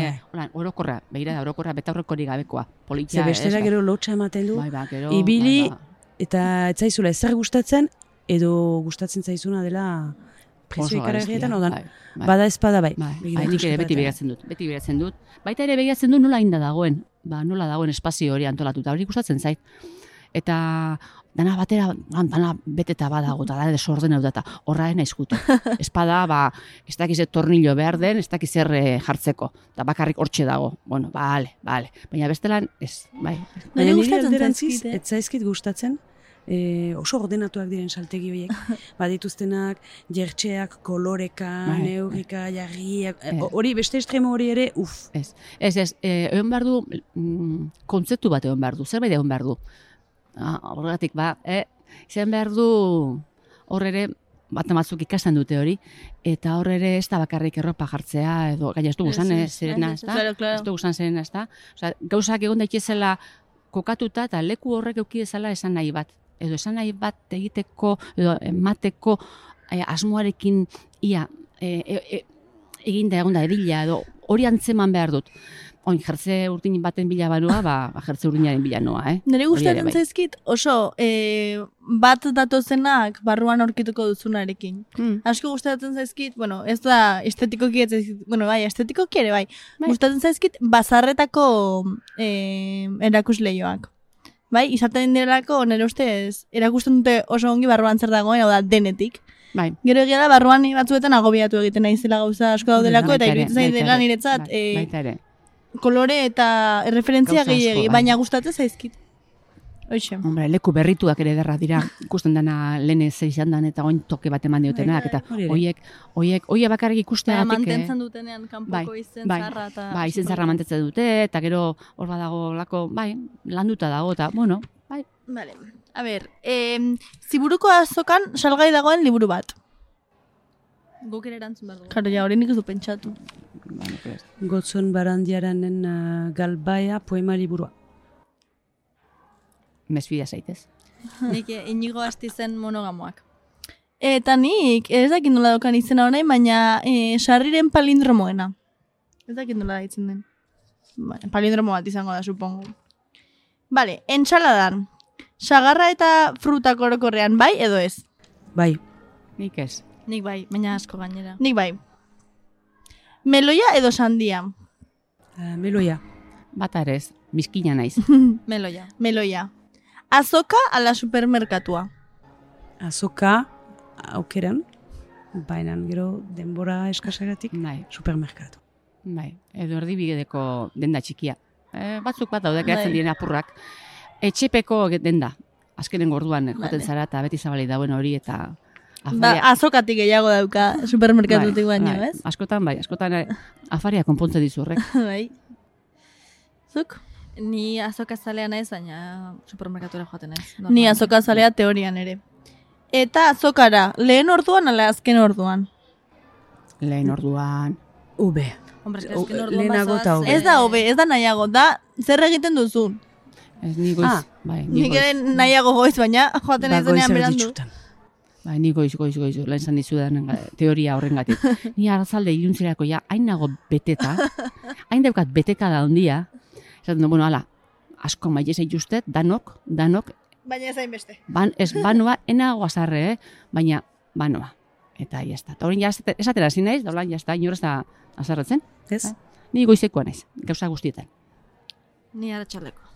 F: orokorra, begira orokorra, betaurrekorik gabekoa.
E: Ze bestera gero lotxa ematen du,
F: gero,
E: ibili, eta ez zaizula ezer gustatzen, edo gustatzen zaizuna dela prezio ikaragarrietan, bada espada bai.
F: Nik ere beti begiratzen dut. Baita ere begiratzen dut nola inda dagoen, nola dagoen espazio hori antolatuta, hori gustatzen zait. Eta dana batera, dana beteta badago, eta da desorden hau data, horraen aizkutu. Espada, ez dakiz tornillo behar den, ez dakiz jartzeko, eta bakarrik hortxe dago. Bueno, bale. Baina bestelan, ez, bai.
E: Baina nire alderantziz, ez zaizkit gustatzen, oso ordenatuak diren saltegi horiek. Badituztenak, jertxeak, koloreka, neurrika, jarriak, hori, beste estremo hori ere,
F: Ez, egon behar du, kontzeptu bat egon behar du, zerbait egon behar du. Horregatik, izan behar du, hor ere, bat amatzuk ikasten dute hori, eta hor ere ez da bakarrik erropa jartzea, edo, gaina ez du guzan zerena, ez da? Ez du guzan zerena, ez da? Gauzak egon daitezela kokatuta, eta leku horrek eukidezala esan nahi bat. Edo esan nahi bat egiteko, edo emateko asmoarekin ia eginda egon da edila, edo hori antzeman behar dut. Oin, jertze urtin baten bila banua, jertze urtinaren bila noa,
D: Nire gustatzen zaizkit oso bat datozenak barruan aurkituko duzunarekin. Asko gustatzen zaizkit, ez da estetikoki ez zaizkit, estetikoki ere bai. Gustatzen zaizkit bazarretako erakusleioak. Bai, izaten direlako nire ustez erakusten dute oso ongi barruan zer dagoen, hau da denetik.
F: Bai.
D: Gero egia da barruan batzuetan agobiatu egiten naizela gauza asko daudelako eta iruditzen zait dela niretzat kolore eta referentzia gehiegi, baina gustatzen zaizkit. Hoxe.
F: Hombre, leku berrituak ere derra dira, ikusten dana lehen izan dan eta oin toke bat eman diotenak, eta hoiek bakarrik ikusteagatik.
D: Mantentzen dutenean kanpoko izen zarra eta...
F: Bai, izen zarra mantentzen dute, eta gero hor badago lako, landuta dago, eta, bai.
D: Vale. A ber, Ziburuko azokan salgai dagoen liburu bat. Guk ere erantzun behar dugu. Karo, hori nik ez du pentsatu.
E: Gotzon Barandiaranen Galbaia poema liburua.
F: Mesfida zaitez.
D: Nik Inigo Astizen monogamoak. Eta nik, ez dakit nola dokan izena honain, baina sarriren palindromoena. Ez dakit nola daitzen den. Palindromo bat izango da, supongo. Vale, entsaladan. Sagarra eta frutak orokorrean bai edo ez?
E: Bai.
F: Nik ez.
D: Nik bai, baina asko gainera. Nik bai. Meloia edo sandia?
E: Meloia.
F: Bata ere ez, bizkina naiz.
D: Meloia. Azoka ala supermerkatua?
E: Azoka aukeran, baina gero denbora eskasagatik supermerkatu.
F: Bai, edo erdibideko denda txikia. Batzuk bat daude geratzen diren apurrak. Etxepeko denda, azkenen gorduan joaten zara eta beti zabali dauen hori eta...
D: Azokatik gehiago dauka supermerkatutik baino, ez?
F: Askotan afaria konpontze dizu horrek.
D: Bai. Zuk? Ni azokazalea naiz, baina supermerkatura joaten naiz. Ni azokazalea teorian ere. Eta azokara, lehen orduan ala azken orduan?
F: Lehen orduan.
E: Ube.
D: Lehenago eta ube. Ez da ube, ez da nahiago, da zer egiten duzu?
F: Ez ni goiz.
D: Nik ere nahiago goiz, baina joaten ez denean berandu.
F: Ni goiz, lehen zan dizudan teoria horrengatik. Ni arrazalde iluntzerako hain nago beteta, hain daukat beteka da ondia, esaten du, ala, asko maile zaituztet, danok.
D: Baina ez hainbeste.
F: Ez banoa, enago azarre, baina banoa. Eta jazta. Eta horren esatera zin naiz, daulan jazta, inorez da azarretzen.
E: Ez?
F: Ni goizekoa naiz, gauza guztietan.
D: Ni aratsaleko.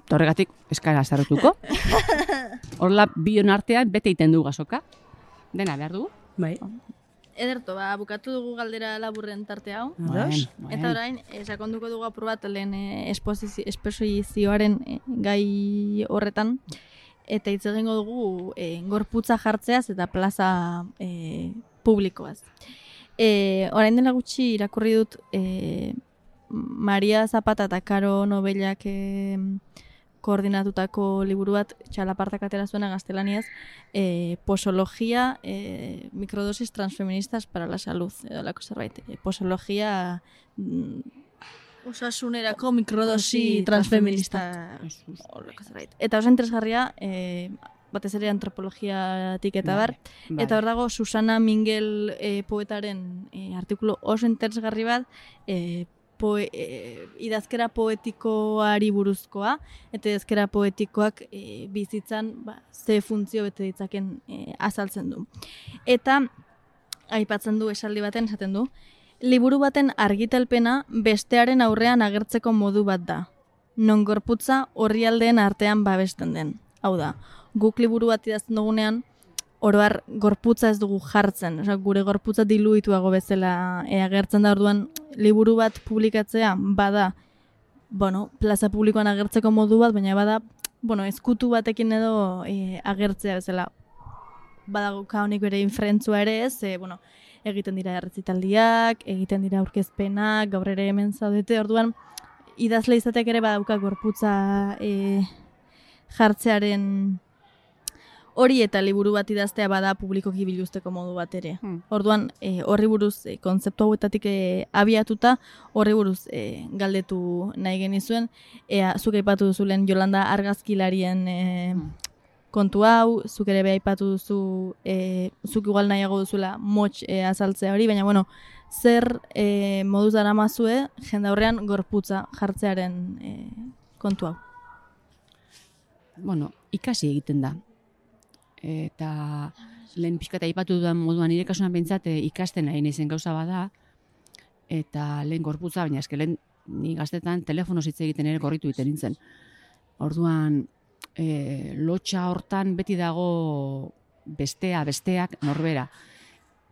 F: Horregatik eskara azarretuko. Horla bion artean bete iten du gazoka. Dena behar dugu.
E: Bai.
D: Ederto, bukatu dugu galdera laburren tarte hau. Eta orain, sakonduko dugu apur bat lehen esposizioaren gai horretan. Eta hitz egingo dugu gorputza jartzeaz eta plaza publikoaz. Orain dela gutxi irakurri dut Maria Zapata eta Karo Nobelak koordinatutako liburu bat, txalapartak atera zuena gaztelaniaz, posologia, microdosis transfeministas para la salud, edo lako zerbait. Posologia osasunerako mikrodosi transfeminista. Eta oso interesgarria, batez ere antropologiatik eta bar, eta hor dago Susana Mingel poetaren artikulu oso interesgarri bat, idazkera poetikoari buruzkoa, eta idazkera poetikoak bizitzan ze funtzio bete ditzaken azaltzen du. Eta aipatzen du esaldi baten esaten du, liburu baten argitalpena bestearen aurrean agertzeko modu bat da, non gorputza orrialdeen artean babesten den. Hau da, guk liburu bat idazten dugunean, oroar gorputza ez dugu jartzen, gure gorputza diluituago bezala agertzen da. Orduan liburu bat publikatzea bada, plaza publikoan agertzeko modu bat, baina bada, ezkutu batekin edo agertzea bezala. Badago honik bere infrentzua ere ez, egiten dira errezitaldiak, egiten dira aurkezpenak, gaur ere hemen zaudete, orduan idazle izateak ere badauka gorputza jartzearen hori eta liburu bat idaztea bada publikoki biluzteko modu bat ere. Orduan, horri buruz, kontzeptu hauetatik abiatuta, horri buruz galdetu nahi genizuen, zuk aipatu duzulen Jolanda argazkilarien kontu hau, zuk ere aipatu duzu, zuk igual nahiago duzula motx azaltzea hori, baina zer moduz daramazue jende aurrean gorputza jartzearen kontu hau?
F: Bueno, ikasi egiten da. Eta lehen pixka eta aipatu dudan moduan nire kasuan pentsat ikasten nahi naizen gauza bada, eta lehen gorputza, baina eske lehen ni gaztetan telefonoz hitz egiten ere gorritu egiten nintzen. Orduan, lotxa hortan beti dago besteak norbera.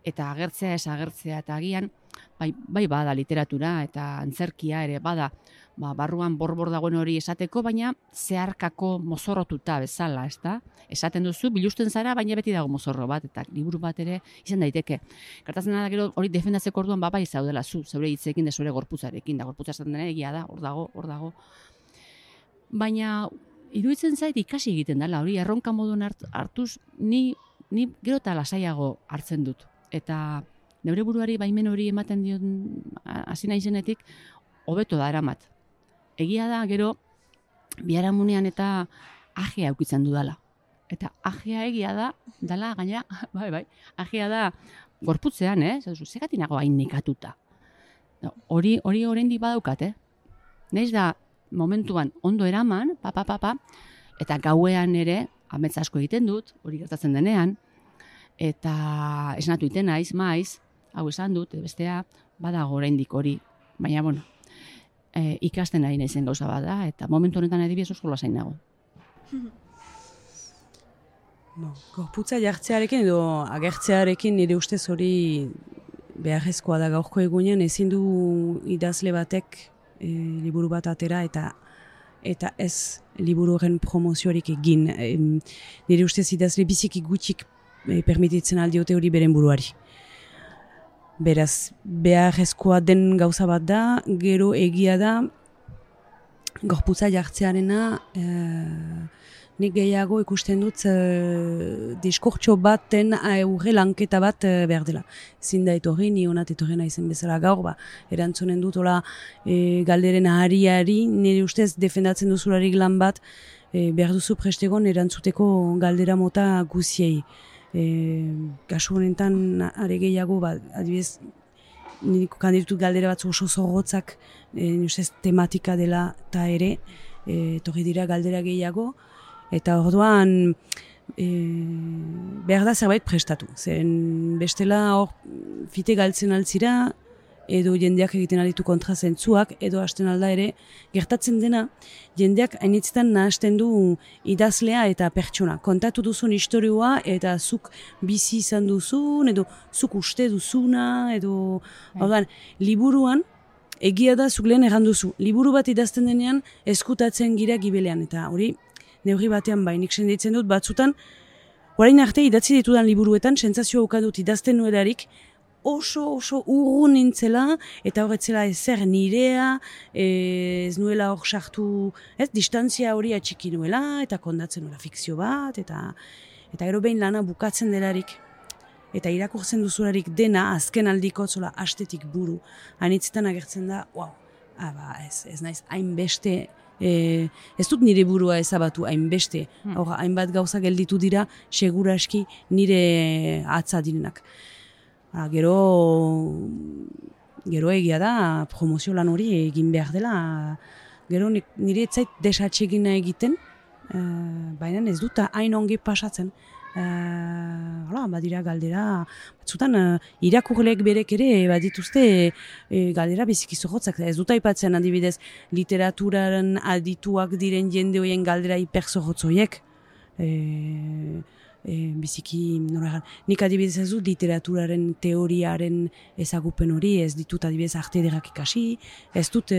F: Eta agertzea, ez agertzea, eta agian, bai bada literatura eta antzerkia ere bada, barruan borbor dagoen hori esateko, baina zeharkako mozorrotuta bezala, ezta? Esaten duzu, bilusten zara, baina beti dago mozorro bat, eta liburu bat ere izan daiteke. Gertatzen da gero hori defendatzeko orduan bai zaudela zeure hitzekin, zure gorputzarekin, da gorputza esaten dena egia da, hor dago. Baina iruditzen zait ikasi egiten dela, hori erronka moduen hartuz, ni gero eta lasaiago hartzen dut. Eta neure buruari baimen hori ematen dion hasi naizenetik hobeto da eramat. Egia da gero biharamunean eta ajea aukitzen dudala. Eta ajea egia da, dala gaina, bai, ajea da gorputzean, zegatik nago hain nekatuta. Hori oraindik badaukat, Naiz da momentuan ondo eraman, eta gauean ere amets asko egiten dut, hori gertatzen denean, eta esnatu iten naiz, maiz, hau esan dut, bestea badago oraindik hori, baina bueno, ikasten ari naizen gauza bada, eta momentu honetan adibidez oso lasain nago.
E: Gorputza jartzearekin edo agertzearekin nire ustez hori beharrezkoa da gaurko egunean, ezin du idazle batek liburu bat atera eta ez liburu horren promozioarik egin. Nire ustez idazle biziki gutxik permititzen aldiote hori beren buruari. Beraz, beharrezkoa den gauza bat da, gero egia da, gorputza jartzearena, nik gehiago ikusten dut diskurtso baten aurre lanketa bat behar dela. Ezin da etorri, ni honat etorri naizen bezala gaur, erantzunen dut, galderen ahariari, nire ustez defendatzen duzularik lan bat, behar duzu prestegon erantzuteko galdera mota guziei. Kasu honetan are gehiago, adibidez, nire kandidutut galdera batzu oso zorrotzak, nire ustez tematika dela eta ere, etorri dira galdera gehiago, eta orduan behar da zerbait prestatu. Zeren bestela hor fite galtzen altzira, edo jendeak egiten alitu kontra zentzuak, edo hasten alda ere, gertatzen dena, jendeak hainitzetan nahasten du idazlea eta pertsona. Kontatu duzun historioa, eta zuk bizi izan duzun, edo zuk uste duzuna, edo... Orduan, liburuan, egia da zuk lehen erran duzu. Liburu bat idazten denean, eskutatzen gira gibelean, eta hori, neurri batean nik senditzen dut batzutan, orain arte idatzi ditudan liburuetan, sentsazioa ukadut idazten nuelarik, oso urrun nintzela, eta horretzela ezer nirea, ez nuela hor sartu, distantzia hori atxiki nuela, eta kondatzen nuela fikzio bat, eta gero behin lana bukatzen delarik, eta irakurtzen duzularik dena, azken aldiko zola astetik buru, anitzetan agertzen da, ez naiz hainbeste, ez dut nire burua ezabatu hainbeste, hainbat gauza gelditu dira, seguraski nire atza direnak. Gero egia da, promozio lan hori egin behar dela, gero nire etzait desatsegina egiten, baina ez dut hain ongi pasatzen. Badira galdera, batzutan irakurleek berek ere badituzte galdera biziki zorrotzak. Ez dut aipatzen adibidez literaturaren adituak diren jende horien galdera hiperzorrotzoiek. Biziki, nik adibidez ez dut literaturaren teoriaren ezagupen hori, ez ditut adibidez arte ederrak ikasi, ez dut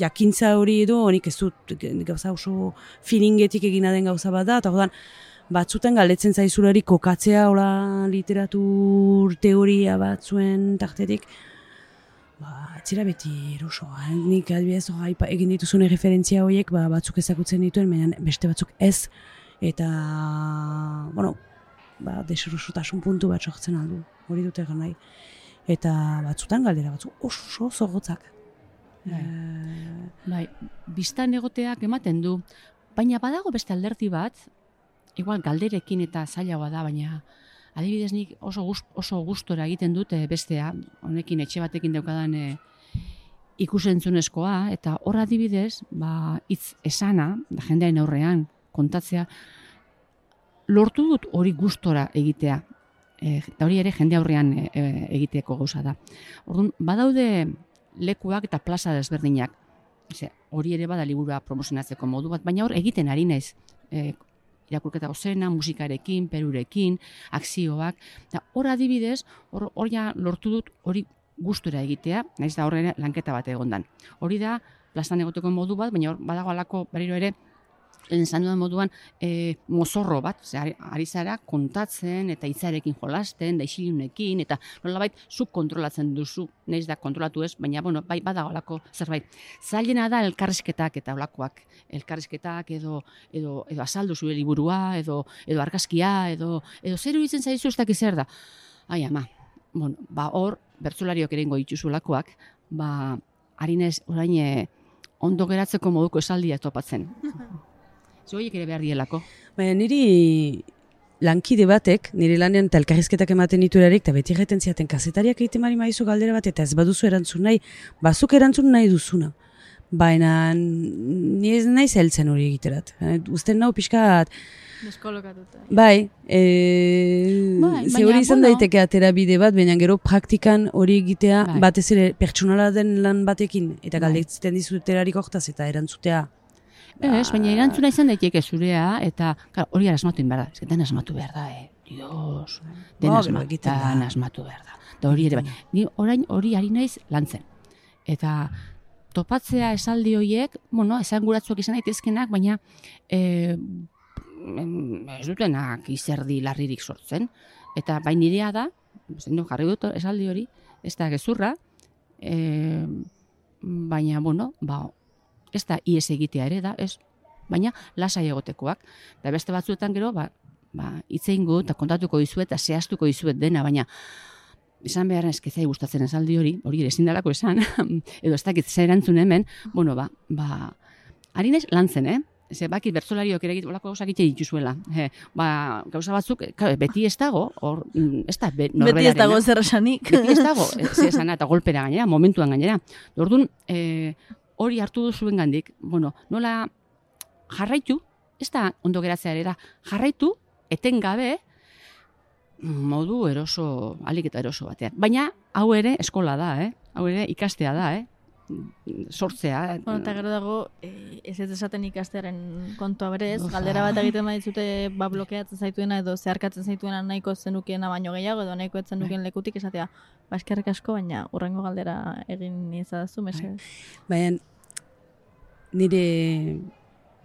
E: jakintza hori edo, nik ez dut gauza oso feelingetik egina den gauza bat da, eta orduan batzutan galdetzen zaizulari kokatzea literatur teoria batzuen tartetik, etzira beti eroso. Nik adibidez egin dituzun referentzia horiek batzuk ezagutzen dituen, baina beste batzuk ez, eta, deserosotasun puntu bat sortzen aldu, hori dut egan nahi. Eta batzutan galdera batzuk oso zorrotzak.
F: Bistan egoteak ematen du, baina badago beste alderdi bat, igual galderekin eta zailagoa da, baina adibidez nik oso gustora egiten dut bestea, honekin etxe batekin daukadan ikusentzunezkoa, eta hor adibidez, hitz esana, jendearen aurrean, kontatzea, lortu dut hori gustora egitea. Eta hori ere jende aurrean egiteko gauza da. Orduan, badaude lekuak eta plaza desberdinak. Hori ere bada liburua promozionatzeko modu bat, baina hor egiten ari naiz. Irakurketa gozena, musikarekin, perurekin, akzioak. Hor adibidez, hor ja lortu dut hori gustura egitea, naiz da horre lanketa bat egondan. Hori da, plazan egoteko modu bat, baina hor badago alako berriro ere, lehen zan dudan moduan mozorro bat, ari zara kontatzen eta hitzarekin jolasten, da isilunekin, eta nolabait zuk kontrolatzen duzu, naiz da kontrolatu ez, baina bai badago alako zerbait. Zailena da elkarrizketak eta olakoak. Elkarrizketak edo azaldu zure liburua, edo argazkia, edo zer iruditzen zaizu ez dakiz zer da. Ai ama, hor, bertsolariok ere ingo dituzu olakoak, ari naiz orain ondo geratzeko moduko esaldia topatzen. Zoiek ere behar dielako.
E: Baina niri lankide batek, nire lanean eta elkarrizketak ematen diturarik, eta beti erreten ziaten kazetariak egiten mari maizu galdera bat, eta ez baduzu erantzun nahi, bazuk erantzun nahi duzuna. Baina ni ez nahi zeltzen hori egiterat. Uzten nau pixkat...
D: Deskolokatuta.
E: Bai, ze hori izan daiteke atera bide bat, baina gero praktikan hori egitea batez ere pertsonala den lan batekin, eta galdetzen dizuterarik hortaz eta erantzutea.
F: Ez, baina erantzuna izan daiteke zurea, eta hori asmatu behar da. Den asmatu behar da, Dios, den asmatu behar da. Da hori ere, ni orain hori ari naiz lantzen. Eta topatzea esaldi horiek, esan guratzuak izan daitezkenak, baina ez dutenak izerdi larririk sortzen. Eta bain nirea da, jarri dut esaldi hori, ez da gezurra, baina, ez da ies egitea ere da, ez, baina lasai egotekoak. Da beste batzuetan gero, hitz egingo eta kontatuko dizuet, eta zehaztuko dizuet dena, baina esan beharren eskezai gustatzen esaldi hori ere ezin dalako esan, edo ez dakit zer erantzun hemen, ari naiz lantzen, Ze bakit bertsolariok ere olako gauzak egiten dituzuela. Gauza batzuk, beti ez dago, ez da norberaren.
D: Beti ez dago zer esanik.
F: Beti ez dago, zer esana eta golpera gainera, momentuan gainera. Orduan, hori hartu duzuen gandik, nola jarraitu, ez da ondo geratzea ere da, jarraitu, etengabe, modu eroso, alik eta eroso batean. Baina, hau ere eskola da, hau ere ikastea da, sortzea.
D: Eta gero dago, ez esaten ikastearen kontua berez, galdera bat egiten baditzute blokeatzen zaituena edo zeharkatzen zaituena nahiko zenukiena baino gehiago edo nahiko etzen nukien lekutik esatea, eskerrik asko, baina urrengo galdera egin izadazu, mesedez.
E: Baina, nire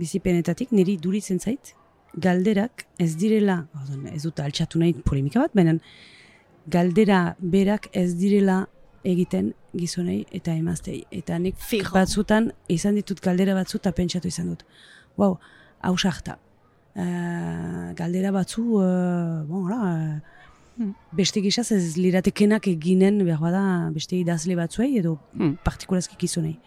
E: bizipenetatik, niri duritzen zait, galderak ez direla, ez dut altxatu nahi polemika bat, baina galdera berak ez direla egiten gizonei eta emaztei. Eta nik batzutan izan ditut galdera batzu eta pentsatu izan dut. Hau sarta. Galdera batzu, beste gizaz ez liratekenak eginen behar bada beste idazle batzuei edo partikurazki gizonei.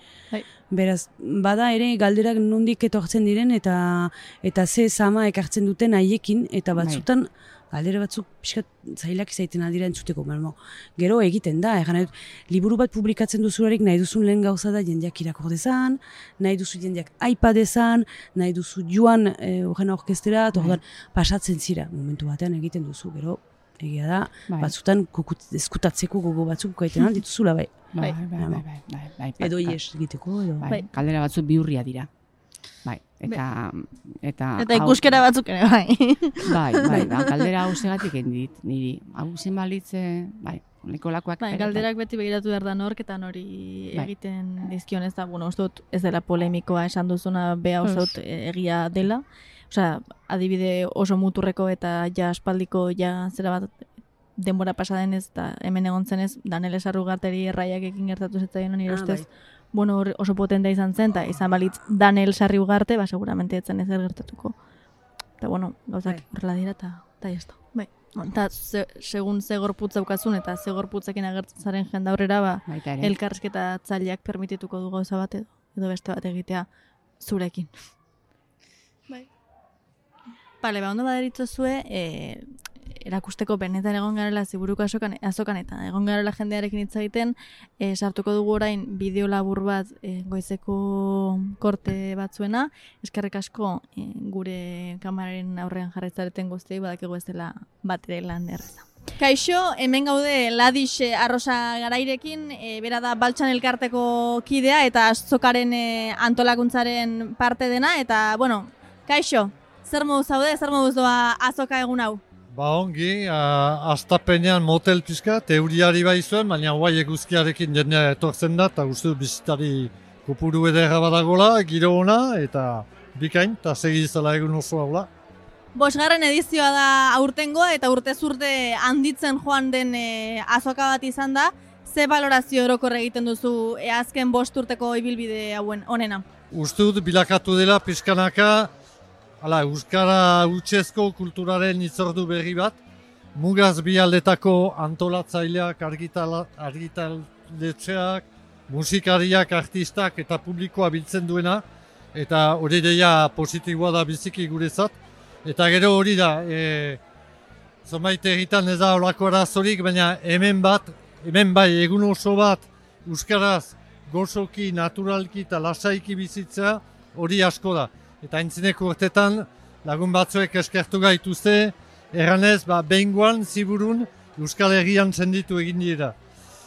E: Beraz, bada ere galderak nondik etortzen diren eta ze zama ekartzen duten haiekin eta batzutan galdera batzuk pixkat zailak izaiten aldira entzuteko. Gero egiten da, liburu bat publikatzen duzularik nahi duzun lehen gauza da jendeak irakur dezan, nahi duzu jendeak aipa dezan, nahi duzu joan horren orkestera, pasatzen zira momentu batean egiten duzu. Gero, egia da, batzutan eskutatzeko gogo batzuk gaiten aldituzula bai. Edo ies egiteko.
F: Galdera batzuk bihurria dira.
D: Eta ikuskera batzuk ere,
F: bai. Galdera hau segatik endit, niri. Hau zen balitze, nekolakoak.
D: Galderak beti begiratu behar da nork eta nori egiten dizkion ez da, ez dela polemikoa esan duzuna beha oso egia dela. Osea, adibide oso muturreko eta ja aspaldiko zera bat denbora pasaden ez da hemen egon zenez, Danele Sarrugarteri erraiak ekin gertatu zetzaien nire ustez. Oso potentea izan zen, eta izan balitz Danel Sarriugarte, seguramente etzen ezer gertatuko. Eta, gauzak horrela dira, eta jazta. Eta, segun ze gorputz daukazun, eta ze gorputzekin agertzen zaren jendaurrera, elkarrizketa tzaileak permitituko du gauza bat edo beste bat egitea zurekin. Ondo baderitzozue, erakusteko benetan egon garela ziburuko azokan eta egon garela jendearekin hitz egiten, sartuko dugu orain bideo labur bat goizeko korte batzuena, eskerrik asko gure kameraren aurrean jarraitzareten guztiei badakigu ez dela bat ere lan erreza. Kaixo, hemen gaude Ladix Arrosa Garairekin, bera da Baltsan elkarteko kidea eta azokaren antolakuntzaren parte dena, eta, bueno, kaixo, zer moduz zaude, zer moduz doa azoka egun hau?
G: Ongi, astapenean motel pixka, teuriari bai zuen, baina guai eguzkiarekin jendea etortzen da, eta uste bizitari kopuru edera badagola, giro ona, eta bikain, eta segizela egun oso haula.
D: 5. edizioa da aurtengoa eta urtez urte handitzen joan den azoka bat izan da. Ze balorazio orokor egiten duzu azken 5 urteko ibilbide hauen onena?
G: Uste dut bilakatu dela pixkanaka, euskara hutsezko kulturaren itzordu berri bat, mugaz bi aldetako antolatzaileak, argitaletxeak, musikariak, artistak eta publikoa biltzen duena, eta hori deia positiboa da biziki guretzat. Eta gero hori da, zonbait egitan ez da olako arazorik, baina hemen bai egun oso bat euskaraz gozoki, naturalki eta lasaiki bizitzea hori asko da. Eta aintzineko urtetan lagun batzuek eskertu gaituzte, erranez behingoan ziburun Euskal Herrian senditu egin dira.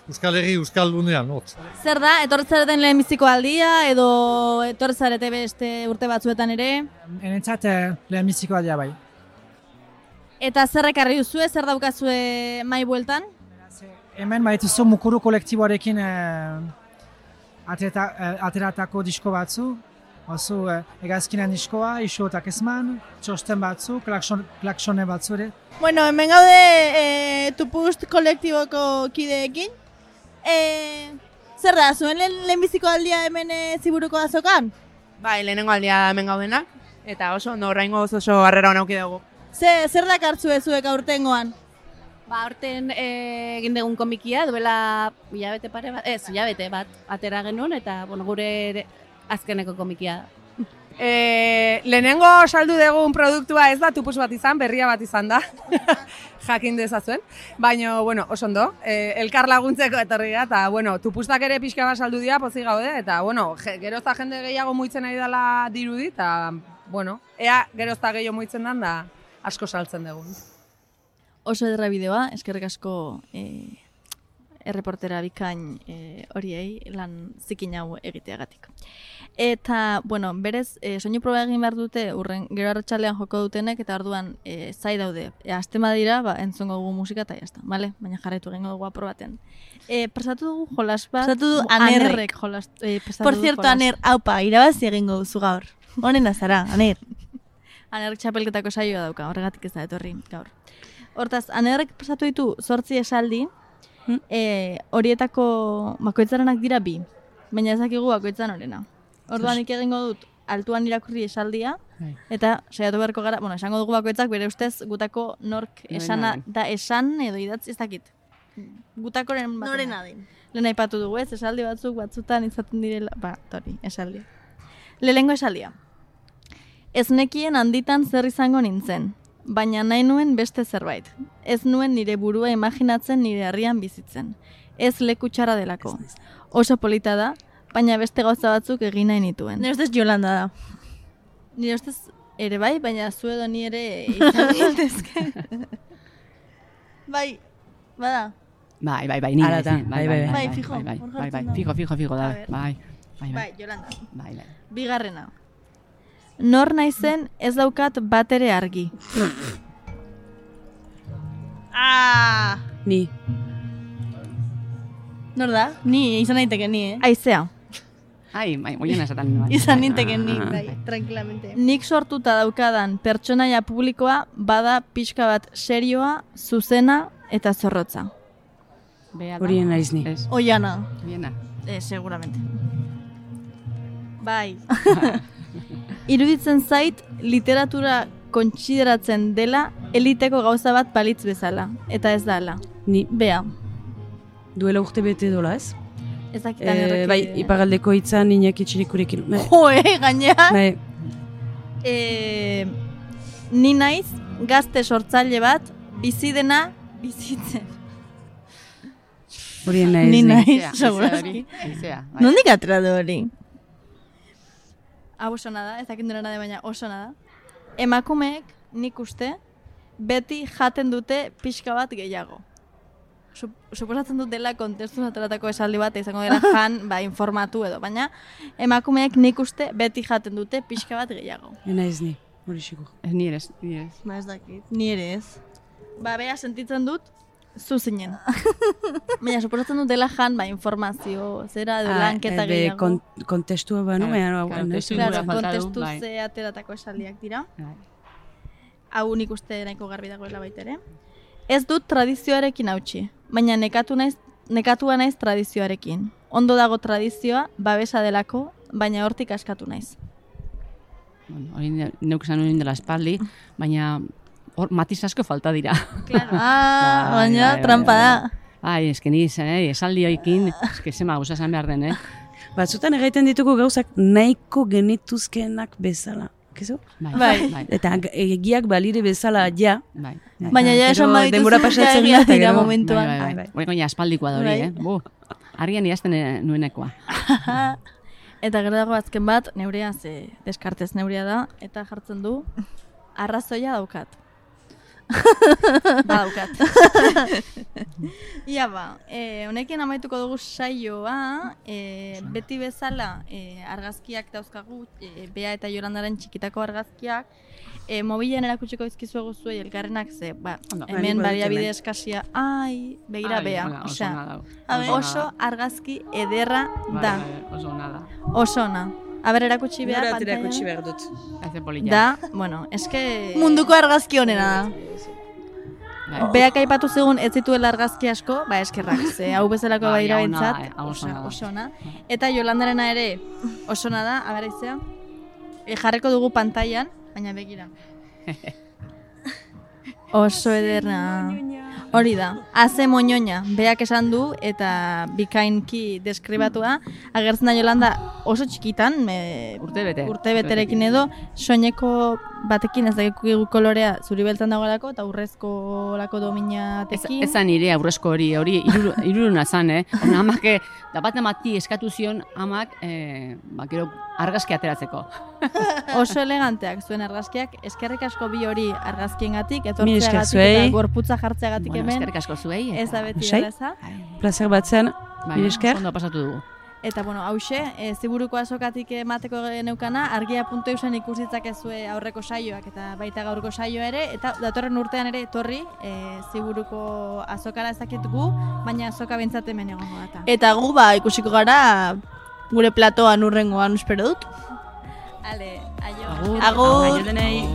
G: Euskal Herri, Euskal Lunean, hotz.
D: Zer da, etortzareten lehenbiziko aldia edo etortzarete beste urte batzuetan ere?
H: Enentzat lehenbiziko aldia bai.
D: Eta zer ekarri duzue, zer daukazue mai bueltan?
H: Hemen baituzu mukuru kolektiboarekin ateratako disko batzu. Oso egazkinan diskoa, isotak ezman, txosten batzu, klaksone batzu ere.
D: Bueno, hemen gaude Tupust kolektiboko kideekin. Zer da, zuen lehenbiziko aldia hemen ziburuko azokan?
I: Bai, lehenengo aldia hemen gaudenak, eta oso ondo oraingo oso harrera honauki dugu.
D: Zer dakartzu zuek aurtengoan?
F: Aurten egin dugun komikia, duela hilabete bat atera genuen, eta gure azkeneko komikia.
I: Lehenengo saldu dugun produktua ez da tupus bat izan, berria bat izan da, jakin dezazuen. Baina, oso ondo, elkar laguntzeko etorri da, eta tupustak ere pixka bat saldu dira, pozik gaude, eta gerozta jende gehiago muitzen ari dela dirudi, eta ea gerozta gehiago muitzen den da asko saltzen dugun.
D: Oso ederra bideoa, eskerrik asko erreportera bikain horiei lan zikin hau egiteagatik. Eta, berez, soinu proba egin behar dute, gero arratsalean joko dutenek, eta orduan zai daude. Aztema dira, entzongo dugu musika eta jazta, bale? Baina jarraitu egingo dugu aprobaten. Prestatu dugu jolas bat.
J: Prestatu du Anerrek. Por cierto, Aner, haupa, irabazi egingo duzu gaur. Honen azara, Aner.
D: Anerrek txapelketako saioa dauka, horregatik ez da etorri gaur. Hortaz, Anerrek prestatu ditu 8 esaldi, horietako bakoitzarenak dira 2, baina ezakigu bakoitzan horrena. Orduan egingo dut altuan irakurri esaldia, eta saiatu beharko gara, esango dugu bakoitzak bere ustez gutako nork esana da esan edo idatzi ez dakit. Gutakoren bat.
J: Norena den.
D: Lehen aipatu dugu ez, esaldi batzutan izaten direla, esaldia. Lehengo esaldia. Ez nekien handitan zer izango nintzen, baina nahi nuen beste zerbait. Ez nuen nire burua imaginatzen nire herrian bizitzen. Ez leku txarra delako. Oso polita da, baina beste gauza batzuk egin nahi nituen.
J: Nire ustez Jolanda da.
D: Nire ustez ere bai, baina zu edo ni ere izan daitezke. Bai, bada.
F: Bai, ni.
D: Bai, fijo.
F: Fijo da.
D: Bai, Jolanda.
F: Bai.
D: Bigarrena. Nor naizen ez daukat bat ere argi.
E: Ni.
J: Nor da? Ni, izan naiteke ni,
D: Aizea.
F: Oien esaten nuen.
J: Izan ninteke ni, tranquilamente.
D: Nik sortuta daukadan pertsonaia publikoa bada pixka bat serioa, zuzena eta zorrotza.
E: Horien naiz ni.
J: Oiana.
D: Seguramente. Bai. Iruditzen zait literatura kontsideratzen dela eliteko gauza bat balitz bezala. Eta ez da ala.
E: Ni.
D: Bea.
E: Duela urte bete dola ez?
D: Ez dakitan errekin.
E: Bai, ipagaldeko hitzan Iñaki Etxerikurekin.
J: Gainera.
D: Ni naiz gazte sortzaile bat bizi dena bizitzen.
E: Hori naiz.
D: Ni naiz, segurazki. Nondik atera du hori? Oso nada, ez dakit nada, baina oso nada. Emakumeek, nik uste, beti jaten dute pixka bat gehiago. Suposatzen dut dela kontestu ateratako esaldi bat izango dela jan, informatu edo, baina emakumeek nik uste beti jaten dute pixka bat gehiago.
E: Naiz ni, hori sigur.
F: Ni ere ez.
D: Ba ez dakit, ni ere ez. Bea sentitzen dut, zu zinen. Baina, suposatzen dut dela jan, informazio, zera, edo lanketa gehiago.
E: Kontestua banu,
D: kontestu ze ateratako esaldiak dira. Hau nik uste nahiko garbi dagoela baita ere. Ez dut tradizioarekin hautsi, baina nekatua naiz tradizioarekin. Ondo dago tradizioa, babesa delako, baina hortik askatu naiz.
F: Hori neuk esan nuen dela espaldi, baina matiz asko falta dira.
D: Baina trampa da.
F: Ai, ni esaldi hoikin, zema gauza esan behar den,
E: Batzutan egiten ditugu gauzak nahiko genituzkenak bezala. Kezu?
D: Bai.
E: Eta egiak balire bezala ja.
D: Baina ja esan badituzu ja egia dira momentuan.
F: Baina aspaldikoa da hori, Argian idazten nuenekoa.
D: Eta gero dago azken bat, neurea, deskartez neurea da, eta jartzen du, arrazoia daukat. Daukat. Ia honekin amaituko dugu saioa, beti bezala argazkiak dauzkagu, Bea eta Jolandaren txikitako argazkiak, mobilen erakutsiko izkizuegu zuei elkarrenak hemen baliabide eskasia, begira Bea, oso argazki ederra da. Oso ona. Aber erakutsi behar pantalla.
E: Erakutsi behar dut.
D: Da, eske... Munduko argazki honena da. Beak aipatu zegoen ez zituela argazki asko, eskerrak, hau bezalako baira bentsat, oso ona. Eta Jolandarena ere oso ona da, aber izea, jarriko dugu pantailan, baina begira. Oso ederna. Hori da, haze moñoña, Beak esan du eta bikainki deskribatua, agertzen da Jolanda oso txikitan, urte beterekin edo, soineko batekin ez dakigu kolorea zuri beltzan dagoelako eta urrezko lako dominatekin.
F: Ezan nire aurrezko hori iruruna zan, Amak, da bat amati eskatu zion, amak, gero argazki ateratzeko.
D: Oso eleganteak zuen argazkiak, eskerrik asko bi hori argazkiengatik, etortzeagatik eta gorputza jartzeagatik hemen.
F: Eskerrik asko zuei.
D: Ez da beti erreza.
E: Plazer bat zen, mire esker.
F: Ondo pasatu dugu.
D: Eta, hause, ziburuko azokatik emateko geneukana, argia.eusen ikusitzakezue aurreko saioak eta baita gaurko saioa ere, eta datorren urtean ere etorri ziburuko azokara ezakitugu, baina azoka bentsat hemen egongo data. Eta gu ikusiko gara gure platoan urrengoan espero dut. Ale, aio.
F: Agur.
D: Aio denei.